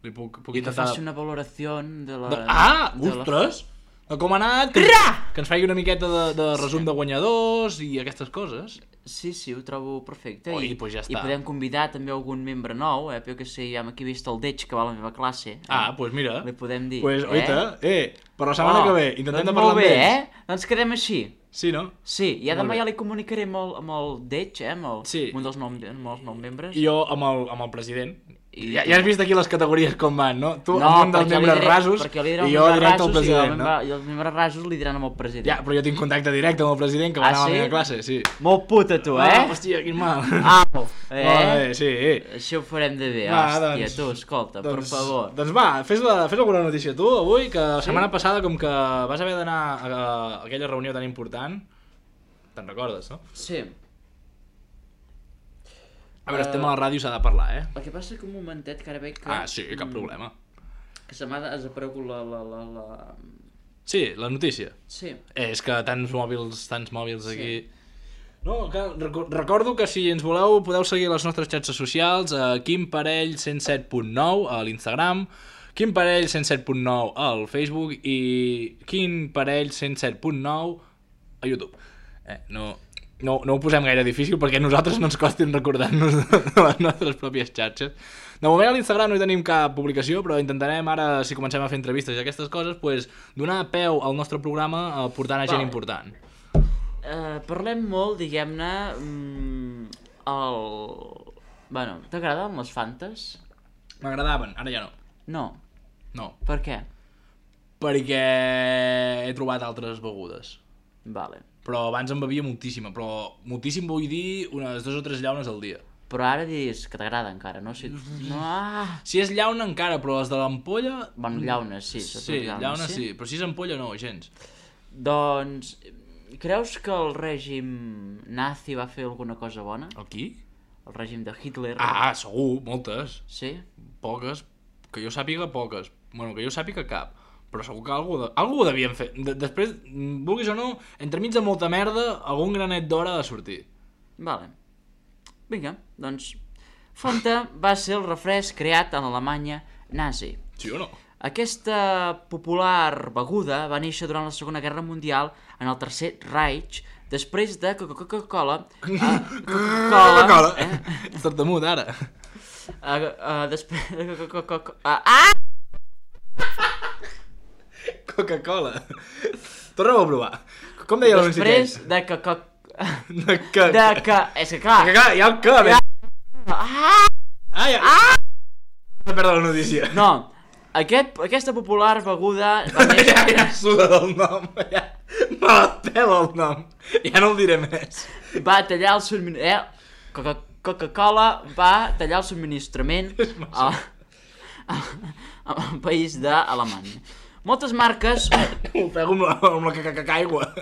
Li puc I que intentar... faci una valoració de la... Ostres! De com ha anat, que ens faci una miqueta de resum de guanyadors i aquestes coses. Sí, ho trobo perfecte. Pues ja està. I podem convidar també algun membre nou, però que sé, ja hem aquí vist el Deix, que va a la meva classe. Pues mira. Li podem dir. Pues, oita, per la setmana que ve, intentem de parlar amb ells. ells. Molt bé, Doncs quedem així. Sí, no? Sí, i demà ja li comunicaré amb el Deix, amb un dels nous membres. I jo amb el president. Ja has vist aquí les categories com van, no? Tu no, amb un dels membres rasos i jo directe al president, no? I els membres rasos li diran amb el president. Ja, però jo tinc contacte directe amb el president que va anar a la meva classe, sí. Molt puta, tu, Hòstia, quin mal. Sí. Això ho farem de bé, hòstia, tu, escolta, per favor. Doncs va, fes alguna notícia tu, avui, que la setmana passada, com que vas haver d'anar a aquella reunió tan important, te'n recordes, no? Sí. A veure, estem a la ràdio, s'ha de parlar, El que passa que un momentet, que ara veig que... Sí, cap problema. Que se m'ha desaparegut la... Sí, la notícia. Sí. És que tants mòbils aquí... No, recordo que si ens voleu podeu seguir les nostres xarxes socials a quimparell107.9 a l'Instagram, quimparell107.9 al Facebook i quimparell107.9 a YouTube. No ho posem gaire difícil perquè a nosaltres no ens costin recordar-nos de les nostres pròpies xarxes. De moment a l'Instagram no hi tenim cap publicació, però intentarem ara, si comencem a fer entrevistes i aquestes coses, pues, donar peu al nostre programa portant a gent important. Parlem molt, diguem-ne, Bueno, t'agraden les Fantes? M'agradaven, ara ja no. No. Per què? Perquè he trobat altres begudes. Vale. Però abans en bevia moltíssima, però moltíssim vull dir unes 2 o 3 llaunes al dia. Però ara dius que t'agrada encara, no? Si és llauna encara, però les de l'ampolla... Bueno, llaunes, sí. Sí, llaunes sí, però si és ampolla no, gens. Doncs, creus que el règim nazi va fer alguna cosa bona? El qui? El règim de Hitler. Segur, moltes. Sí? Poques, que jo sàpiga poques. Bueno, que jo sàpiga cap. Però segur que algú ho devien fer. Després, vulguis o no, entremig de molta merda, algun granet d'or ha de sortir. Vale. Vinga, doncs... Fanta va ser el refresc creat a l'Alemanya nazi. Sí o no? Aquesta popular beguda va néixer durant la Segona Guerra Mundial en el Tercer Reich, després de que Coca-Cola... Coca-Cola! Ets tartamut, ara. Després de Coca-Cola. Torna-ho a provar. Com deia l'anunci aquell? Després de que... És que Ja clar... el que, ja. No perda la notícia. No, aquesta popular beguda va néixer... Ja suda del nom. Me la pela el nom. Ja no el diré més. Va tallar el subministrament... Coca-Cola va tallar el subministrament al país d'Alemanya. Moltes marques... Ho pego amb la caca-aigua.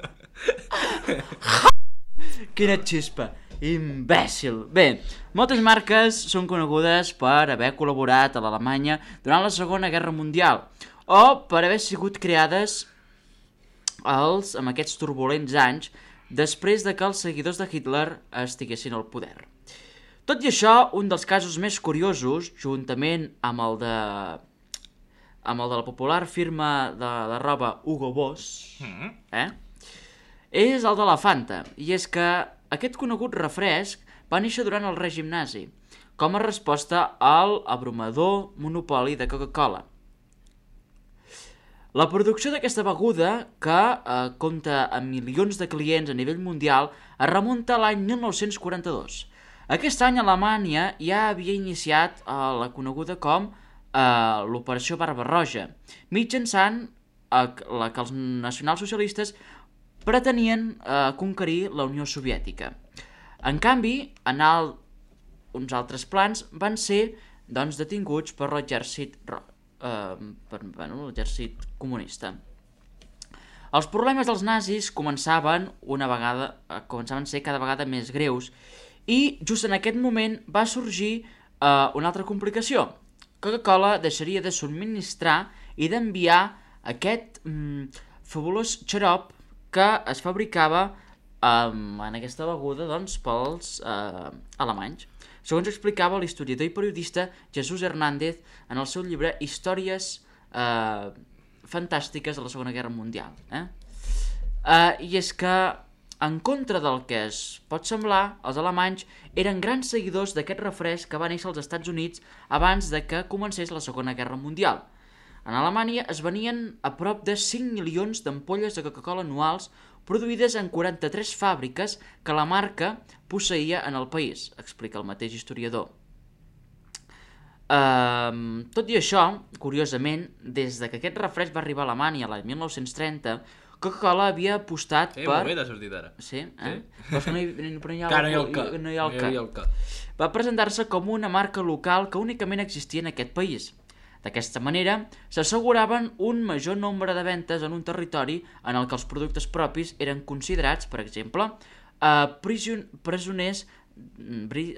Quina xispa, imbècil. Bé, moltes marques són conegudes per haver col·laborat a l'Alemanya durant la Segona Guerra Mundial o per haver sigut creades amb aquests turbulents anys després de que els seguidors de Hitler estiguessin al poder. Tot i això, un dels casos més curiosos, juntament amb el de la popular firma de roba Hugo Boss, és el de la Fanta, i és que aquest conegut refresc va néixer durant el règim nazi, com a resposta al abrumador monopoli de Coca-Cola. La producció d'aquesta beguda, que compta amb milions de clients a nivell mundial, es remunta a l'any 1942. Aquest any Alemanya ja havia iniciat la coneguda com l'Operació Barba-roja, mitjançant la que els nacionalsocialistes pretenien conquerir la Unió Soviètica. En canvi, uns altres plans van ser detinguts per l'exèrcit comunista. Els problemes dels nazis començaven a ser cada vegada més greus i just en aquest moment va sorgir una altra complicació. Coca-Cola deixaria de subministrar i d'enviar aquest fabulós xarop que es fabricava en aquesta beguda doncs, pels alemanys. Segons explicava l'historiador i periodista Jesús Hernández en el seu llibre Històries fantàstiques de la Segona Guerra Mundial. I és que, en contra del que es pot semblar, els alemanys eren grans seguidors d'aquest refresc que va néixer als Estats Units abans de que comencés la Segona Guerra Mundial. En Alemanya es venien a prop de 5 milions d'ampolles de Coca-Cola anuals produïdes en 43 fàbriques que la marca posseïa en el país, explica el mateix historiador. Tot i això, curiosament, des de que aquest refresc va arribar a Alemanya l'any 1930, Coca-Cola havia apostat per... Molt bé, t'ha sortit ara. Sí? Però és que no hi ha el que. Va presentar-se com una marca local que únicament existia en aquest país. D'aquesta manera, s'asseguraven un major nombre de ventes en un territori en el que els productes propis eren considerats, per exemple, presoners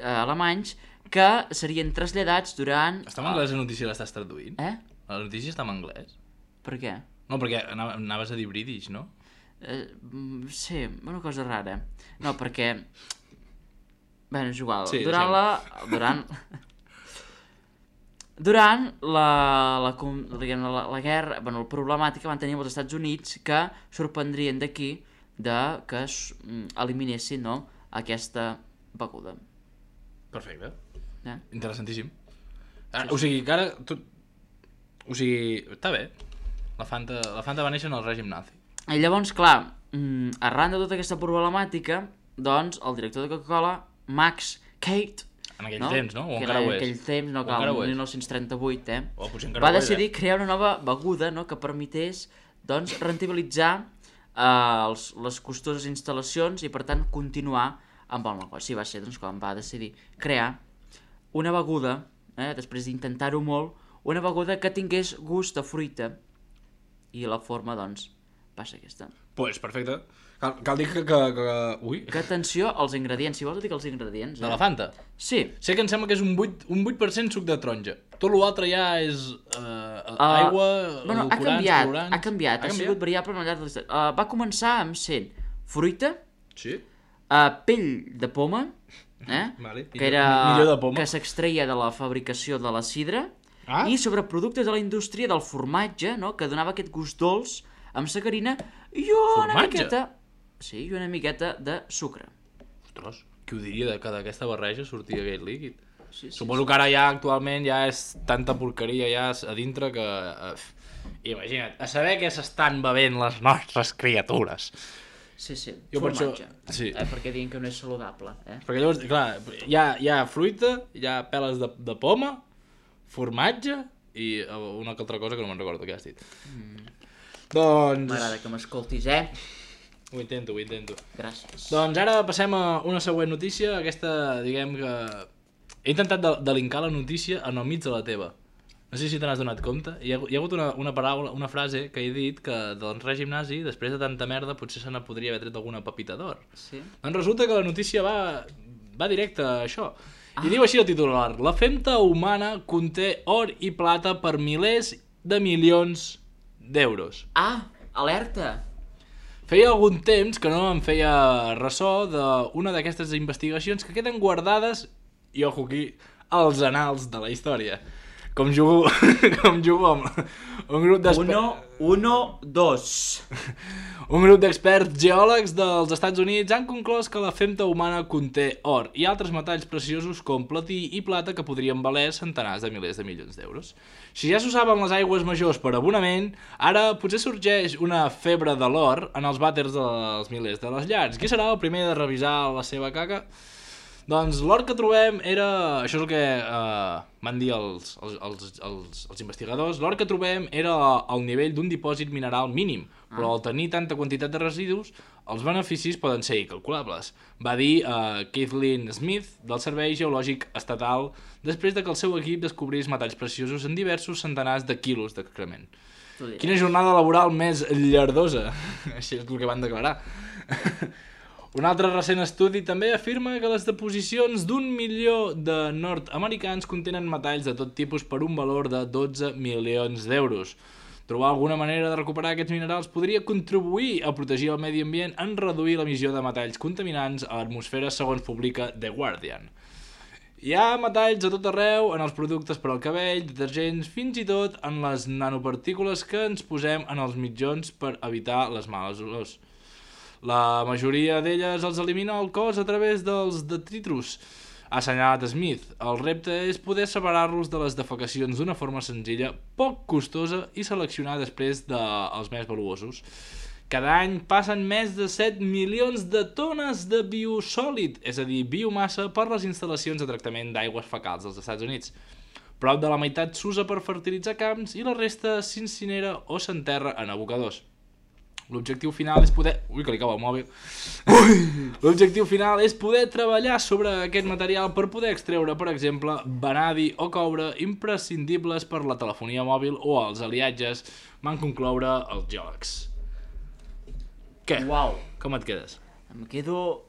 alemanys que serien traslladats durant... Està en anglès la notícia, l'estàs traduint? La notícia està en anglès? Per què? No, perquè anaves a dir British, no? Sí, una cosa rara. No, perquè... Bé, és igual. Sí, Durant la guerra, la problemàtica van tenir els Estats Units que sorprendrien d'aquí que eliminessin aquesta beguda. Perfecte. Interessantíssim. O sigui, que ara... O sigui, està bé. La Fanta va néixer en el règim nazi. I llavors, clar, arran de tota aquesta problemàtica, doncs, el director de Coca-Cola, Max Kate... En aquell temps, no? O encara ho és? En aquell temps, no, clar, el 1938, va decidir crear una nova beguda que permetés, doncs, rentabilitzar les costoses instal·lacions i, per tant, continuar amb el negoci. Va ser, doncs, quan va decidir crear una beguda, després d'intentar-ho molt, una beguda que tingués gust de fruita. I la forma, doncs, va ser aquesta. Pues perfecte. Cal dir que... Ui. Que atenció als ingredients. Si vols dic els ingredients. De la Fanta? Sí. Sé que em sembla que és un 8% suc de taronja. Tot l'altre ja és aigua, edulcorants, colorants... Ha canviat. Ha sigut variable al llarg de l'història. Va començar amb sent fruita, sí. Pell de poma, vale. Que era millor de poma, que s'extreia de la fabricació de la sidra, i sobre productes de la indústria del formatge, que donava aquest gust dolç amb sacarina i una miqueta... Sí, i una miqueta de sucre. Ostres, qui ho diria que d'aquesta barreja sortia aquest líquid? Sí. Suposo que ara ja actualment ja és tanta porqueria ja a dintre que... Imagina't, a saber què s'estan bevent les nostres criatures. Sí, formatge. Sí. Perquè diuen que no és saludable. Perquè llavors, clar, hi ha fruita, hi ha peles de poma, formatge i una altra cosa que no me'n recordo què has dit. Doncs... M'agrada que m'escoltis, Ho intento. Gràcies. Doncs ara passem a una següent notícia. Aquesta, diguem que... He intentat de linkar la notícia en el mig de la teva. No sé si te n'has donat compte. Hi ha hagut una paraula, una frase que he dit que del règim nazi, després de tanta merda, potser se ne podria haver tret alguna pepita d'or. Sí. Doncs resulta que la notícia va directe a això. I diu així el titular: la femta humana conté or i plata per milers de milions d'euros. Alerta! Feia algun temps que no em feia ressò d'una d'aquestes investigacions que queden guardades, i ojo aquí, als anals de la història. Com jugo amb un grup d'experts... 2. Un grup d'experts geòlegs dels Estats Units han conclòs que la femta humana conté or i altres metalls preciosos com platí i plata que podrien valer centenars de milers de milions d'euros. Si ja s'usaven les aigües majors per abonament, ara potser sorgeix una febre de l'or en els vàters dels milers de les llars. Qui serà el primer de revisar la seva caca? Doncs l'or que trobem era... Això és el que van dir els investigadors. L'or que trobem era al nivell d'un dipòsit mineral mínim, però al tenir tanta quantitat de residus, els beneficis poden ser incalculables, va dir Kathleen Smith del Servei Geològic Estatal després de que el seu equip descobrís metalls preciosos en diversos centenars de quilos d'excrement. Quina jornada laboral més llardosa! Això és el que van declarar. Un altre recent estudi també afirma que les deposicions d'1 milió de nord-americans contenen metalls de tot tipus per un valor de 12 milions d'euros. Trobar alguna manera de recuperar aquests minerals podria contribuir a protegir el medi ambient en reduir l'emissió de metalls contaminants a l'atmosfera, segons publica The Guardian. Hi ha metalls a tot arreu, en els productes per al cabell, detergents, fins i tot en les nanopartícules que ens posem en els mitjons per evitar les males olors. La majoria d'elles els elimina el cos a través dels detritus, ha assenyalat Smith. El repte és poder separar-los de les defecacions d'una forma senzilla, poc costosa i seleccionar després dels més valuosos. Cada any passen més de 7 milions de tones de biosòlid, és a dir, biomassa, per les instal·lacions de tractament d'aigües fecals dels Estats Units. Prop de la meitat s'usa per fertilitzar camps i la resta s'incinera o s'enterra en abocadors. L'objectiu final és poder... Ui, que li cau el mòbil. L'objectiu final és poder treballar sobre aquest material per poder extreure, per exemple, vanadi o coure imprescindibles per la telefonia mòbil o els aliatges, van concloure els geòlegs. Què? Uau. Com et quedes? Em quedo...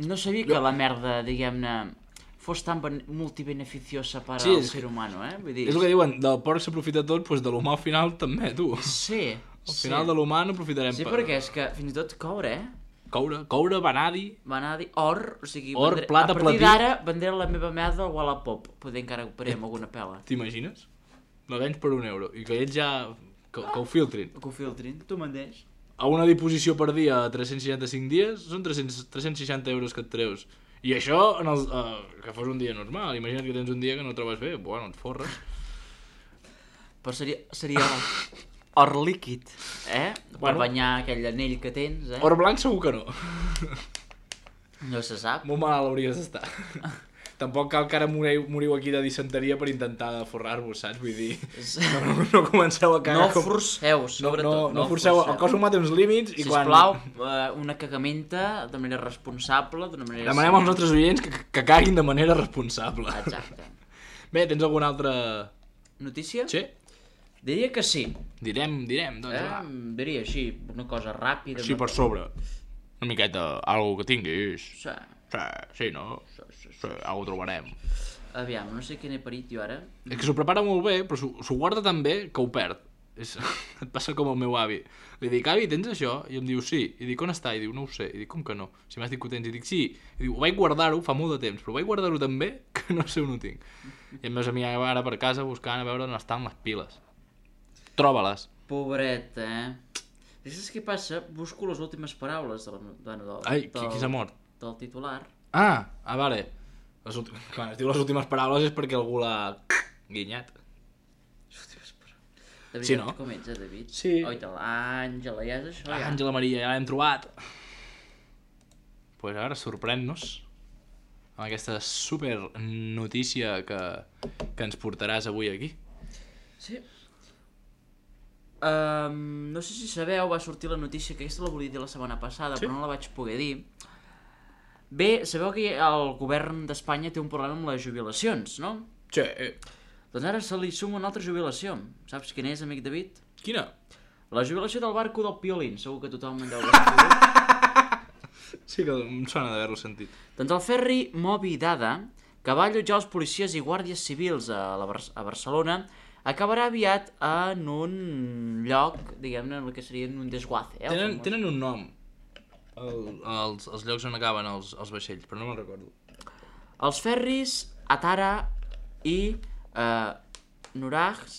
No sabia que la merda, diguem-ne, fos tan multibeneficiosa per al ser humano, Vull dir... És el que diuen, del porc s'aprofita tot, doncs de l'humà al final també, tu. Sí. Al final de l'humà n'aprofitarem. Sí, perquè és que fins i tot coure, Coure, vanadi... Vanadi, or, o sigui... Or, plata, platí... A partir d'ara vendré la meva merda al Wallapop. Poder encara operem alguna pela. T'imagines? La vens per €1 i que ells ja... Que ho filtrin. Que ho filtrin, tu me'n deix. A una disposició per dia a 365 dies són 360 euros que et treus. I això, que fos un dia normal. Imagina't que tens un dia que no el trobes bé. Bueno, et forres. Però seria or líquid, Per banyar aquell anell que tens, Or blanc segur que no. No se sap. Molt malalt hauries d'estar. Tampoc cal que ara moriu aquí de disenteria per intentar forrar-vos, saps? Vull dir, no comenceu a cagar... No forceu, sobretot. No forceu. El cos humà té uns límits i quan... Sisplau, una cagamenta de manera responsable, d'una manera... Demanem als nostres oients que caguin de manera responsable. Exacte. Bé, tens alguna altra... Notícia? Sí. Diria que sí. Direm, doncs va. Diria així, una cosa ràpida. Així per sobre. Una miqueta, algo que tinguis. Sí, no? Sí, ho trobarem. Aviam, no sé què n'he parit jo ara. És que s'ho prepara molt bé, però s'ho guarda tan bé que ho perd. Et passa com el meu avi. Li dic, avi, tens això? I em diu, sí. I dic, on està? I diu, no ho sé. I dic, com que no? Si m'has dit que ho tens. I dic, sí. I diu, ho vaig guardar-ho fa molt de temps, però vaig guardar-ho tan bé que no sé on ho tinc. I em veus a mi ara per casa buscant a veure on estan les piles. Troba-les. Pobret, Saps què passa? Busco les últimes paraules Ai, qui s'ha mort? Del titular. Vale. Quan es diu les últimes paraules és perquè algú l'ha guinyat. De veritat, sí, no? Com ets, David? Sí. Oita, l'Àngela, ja és això, ja. Àngela Maria, ja l'hem trobat. Pues ara sorprèn-nos amb aquesta super notícia que ens portaràs avui aquí. Sí. No sé si sabeu, va sortir la notícia, que aquesta la volia dir la setmana passada, però no la vaig poder dir. Bé, sabeu que el govern d'Espanya té un problema amb les jubilacions, no? Sí. Doncs ara se li suma una altra jubilació. Saps quina és, amic David? Quina? La jubilació del barco del Piolín. Segur que tothom en deu haver sentit. Sí que em sona d'haver-lo sentit. Doncs el ferri Moby Dada, que va allotjar els policies i guàrdies civils a Barcelona, acabarà aviat en un lloc, diguem-ne, el que seria un desguace. Tenen un nom, els llocs on acaben els vaixells, però no me'n recordo. Els ferris Atara i Nurags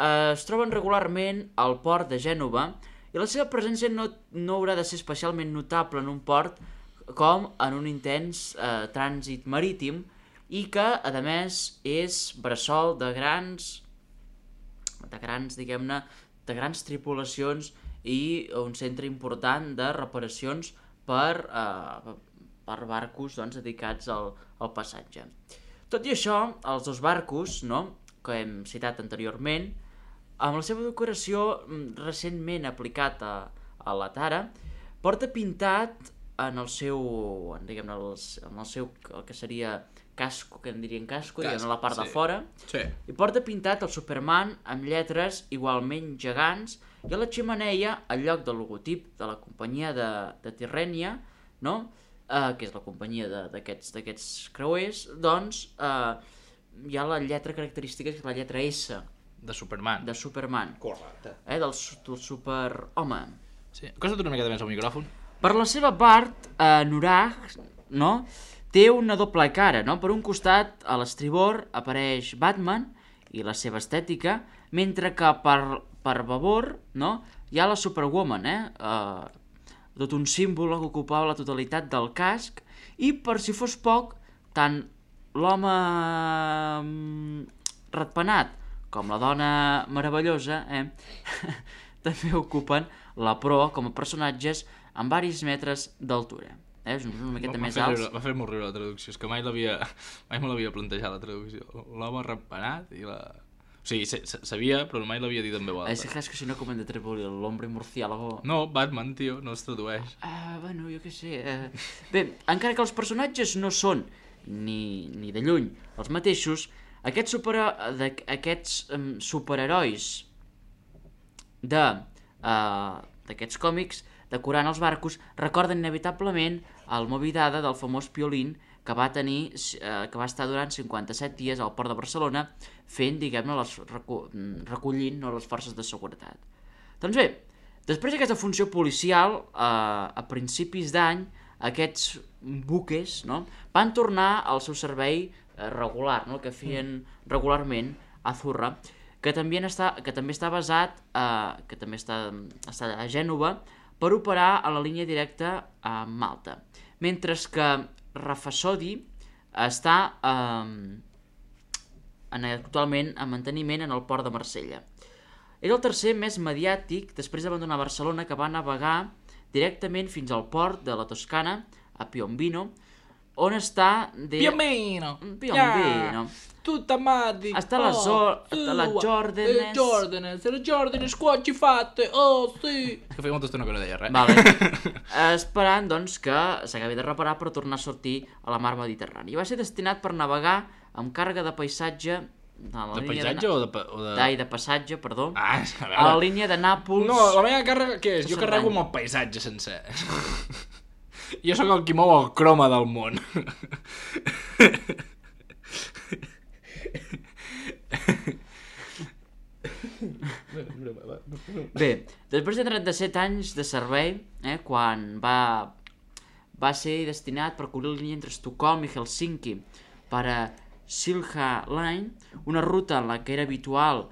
es troben regularment al port de Gènova i la seva presència no haurà de ser especialment notable en un port com en un intens trànsit marítim i que, a més, és bressol de grans, diguem-ne, de grans tripulacions i un centre important de reparacions per barcos dedicats al passatge. Tot i això, els dos barcos, que hem citat anteriorment, amb la seva decoració recentment aplicat a la tara, porta pintat en el seu, diguem-ne, el que seria casco, que en dirien casco, diguem-ne, la part de fora, i porta pintat el Superman amb lletres igualment gegants i a la xemeneia, al lloc del logotip de la companyia de Tirrenia, que és la companyia d'aquests creuers, doncs hi ha la lletra característica, que és la lletra S De Superman. De Superman. Correcte. Del superhome. Sí. Acosta't una miqueta més al micròfon. Per la seva part, Nurag, no?, té una doble cara, no? Per un costat, a l'estribor, apareix Batman i la seva estètica, mentre que per babor, no?, hi ha la Superwoman, tot un símbol que ocupava la totalitat del casc, i per si fos poc, tant l'home ratpenat com la dona meravellosa també ocupen la proa com a personatges amb varis metres d'altura. És una miqueta més alts. Va fer molt riure la traducció, és que mai me l'havia plantejat la traducció. L'home ratpenat i la... O sigui, sabia, però mai l'havia dit en veu alta. És que si no com hem de traduir l'hombre murciélago... No, Batman, tio, no es tradueix. Bueno, jo què sé... Bé, encara que els personatges no són ni de lluny els mateixos, aquests superherois d'aquests còmics decorant els barcos recorden inevitablement el Moby Dada del famós Piolín que va estar durant 57 dies al port de Barcelona fent, diguem-ne, recollint les forces de seguretat. Doncs bé, després d'aquesta funció policial, a principis d'any, aquests buques, no?, van tornar al seu servei regular, no?, que feien regularment a Zurra, que també està basat, que també està a Gènova, per operar a la línia directa a Malta, mentre que Rafasodi està actualment en manteniment en el port de Marsella. Era el tercer més mediàtic després d'abandonar Barcelona, que va navegar directament fins al port de la Toscana, a Piombino, on està... Piombino! Tutta matti! Està la Jordanes... Le Jordanes qua ci fatte! Oh, sì! Que feia molta estona que no deia res. Vale. Esperant, doncs, que s'acabi de reparar per tornar a sortir a la mar Mediterrània. Va ser destinat per navegar amb càrrega de paisatge... De paisatge o de... De passatge, perdó. A la línia de Nàpols... No, la meva càrrega, què és? Jo carrego amb el paisatge sencer. Jo sóc el qui mou el croma del món. Bé, després de 37 anys de servei, quan va ser destinat per cobrir la línia entre Estocolm i Helsinki per a Silja Line, una ruta en la que era habitual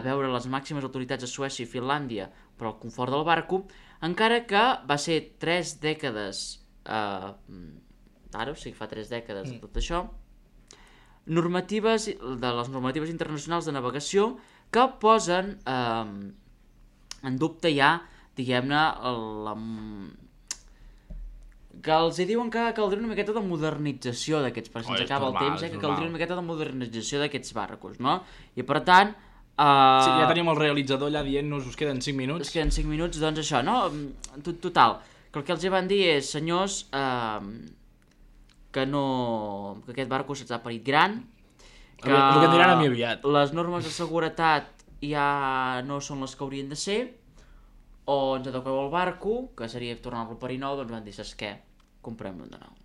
veure les màximes autoritats de Suècia i Finlàndia per al confort del barco, encara que va ser 3 dècades ara, o sigui, fa 3 dècades de tot això, de les normatives internacionals de navegació que posen en dubte ja, diguem-ne, que els diuen que caldria una miqueta de modernització d'aquests, perquè se'ns acaba el temps, que caldria una miqueta de modernització d'aquests barcos, no? I per tant... Sí, ja tenim el realitzador allà dient-nos us queden 5 minuts. Us queden 5 minuts, doncs això, no? Total, que el que els van dir és, senyors, que aquest barco se'ns ha parit gran, que el que diran a mi aviat. Les normes de seguretat ja no són les que haurien de ser, o ens adequeu el barco, que seria tornar-lo a parir nou, doncs van dir, saps què? Comprem-lo de nou.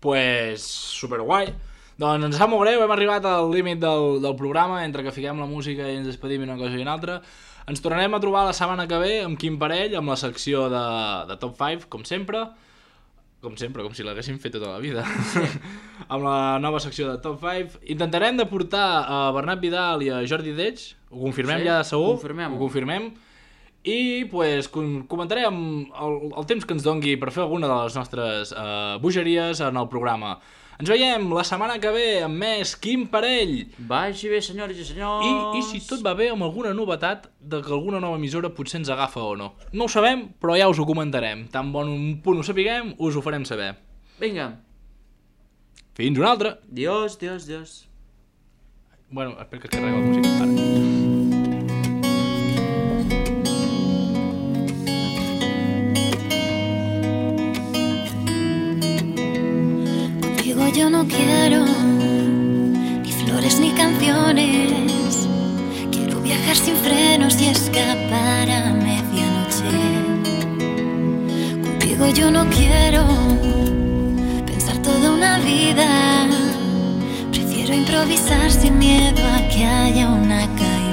Pues superguai. Doncs ens sap molt greu, hem arribat al límit del programa, entre que fiquem la música i ens despedim una cosa i una altra. Ens tornarem a trobar la setmana que ve amb Quim Parell, amb la secció de Top 5, com sempre, com si l'haguéssim fet tota la vida. Amb la nova secció de Top 5. Intentarem de portar a Bernat Vidal i a Jordi Deix, ho confirmem ja segur? Ho confirmem. I pues, comentarem el temps que ens dongui per fer alguna de les nostres bogeries en el programa. Ens veiem la setmana que ve amb més Quim Parell. Vagi bé, senyores i senyors. I si tot va bé, amb alguna novetat de que alguna nova emissora potser ens agafa o no. No ho sabem, però ja us ho comentarem. Tan bon punt ho sapiguem, us ho farem saber. Vinga. Fins una altra. Dios. Bueno, espera que carrega la música. Ara. Yo no quiero ni flores ni canciones. Quiero viajar sin frenos y escapar a medianoche. Contigo yo no quiero pensar toda una vida. Prefiero improvisar sin miedo a que haya una caída.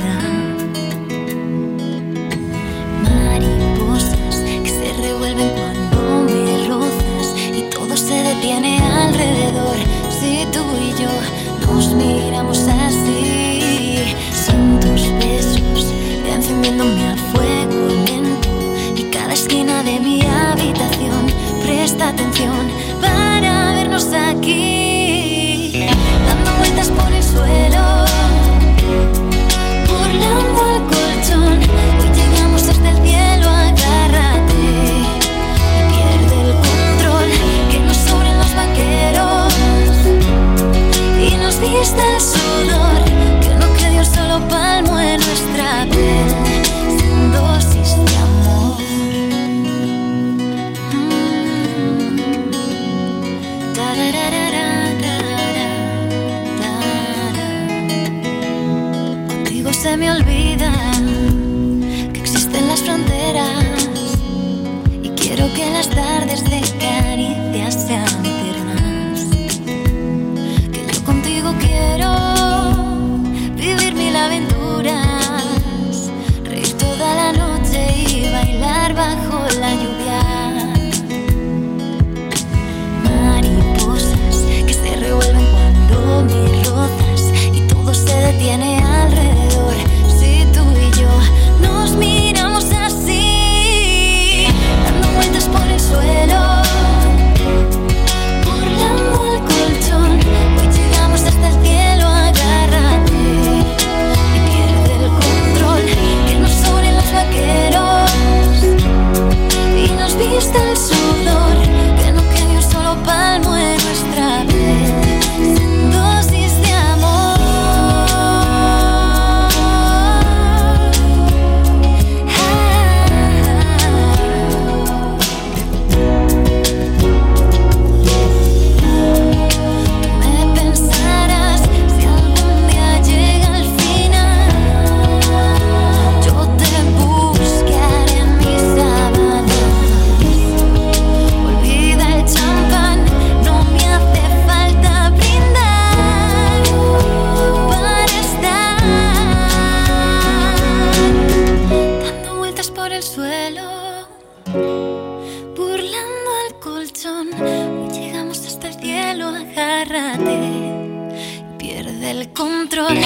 pone a fuego lento y cada esquina de mi habitación. Presta atención para vernos aquí, dando vueltas por el suelo, burlando el colchón. Hoy llegamos hasta el cielo, agárrate y pierde el control. Que nos sobren los vaqueros y nos vista el sudor. Que no quede un solo palmo en nuestra piel, sin dosis de amor. Contigo se me olvida que existen las fronteras y quiero que las tardes de caricias sean eternas. Que yo contigo quiero vivir mil aventuras, reír toda la noche y bailar bajo la lluvia. Mariposas que se revuelven cuando me rozas y todo se detiene alrededor. Si tú y yo nos miramos así, dando vueltas por el suelo, burlando el colchón. Hoy llegamos hasta el cielo, agárrate y pierde el control. Que nos sobren los vaqueros y nos vista el sudor. Que no quede un solo palmo en nuestra piel, sin dosis de amor. Me pensarás si algún día llega el final. Yo te buscaré en mis sábanas. Olvida el champán, no me hace falta brindar para estar dando vueltas por el suelo, burlando el colchón. Hoy llegamos hasta el cielo, agárrate y pierde el control.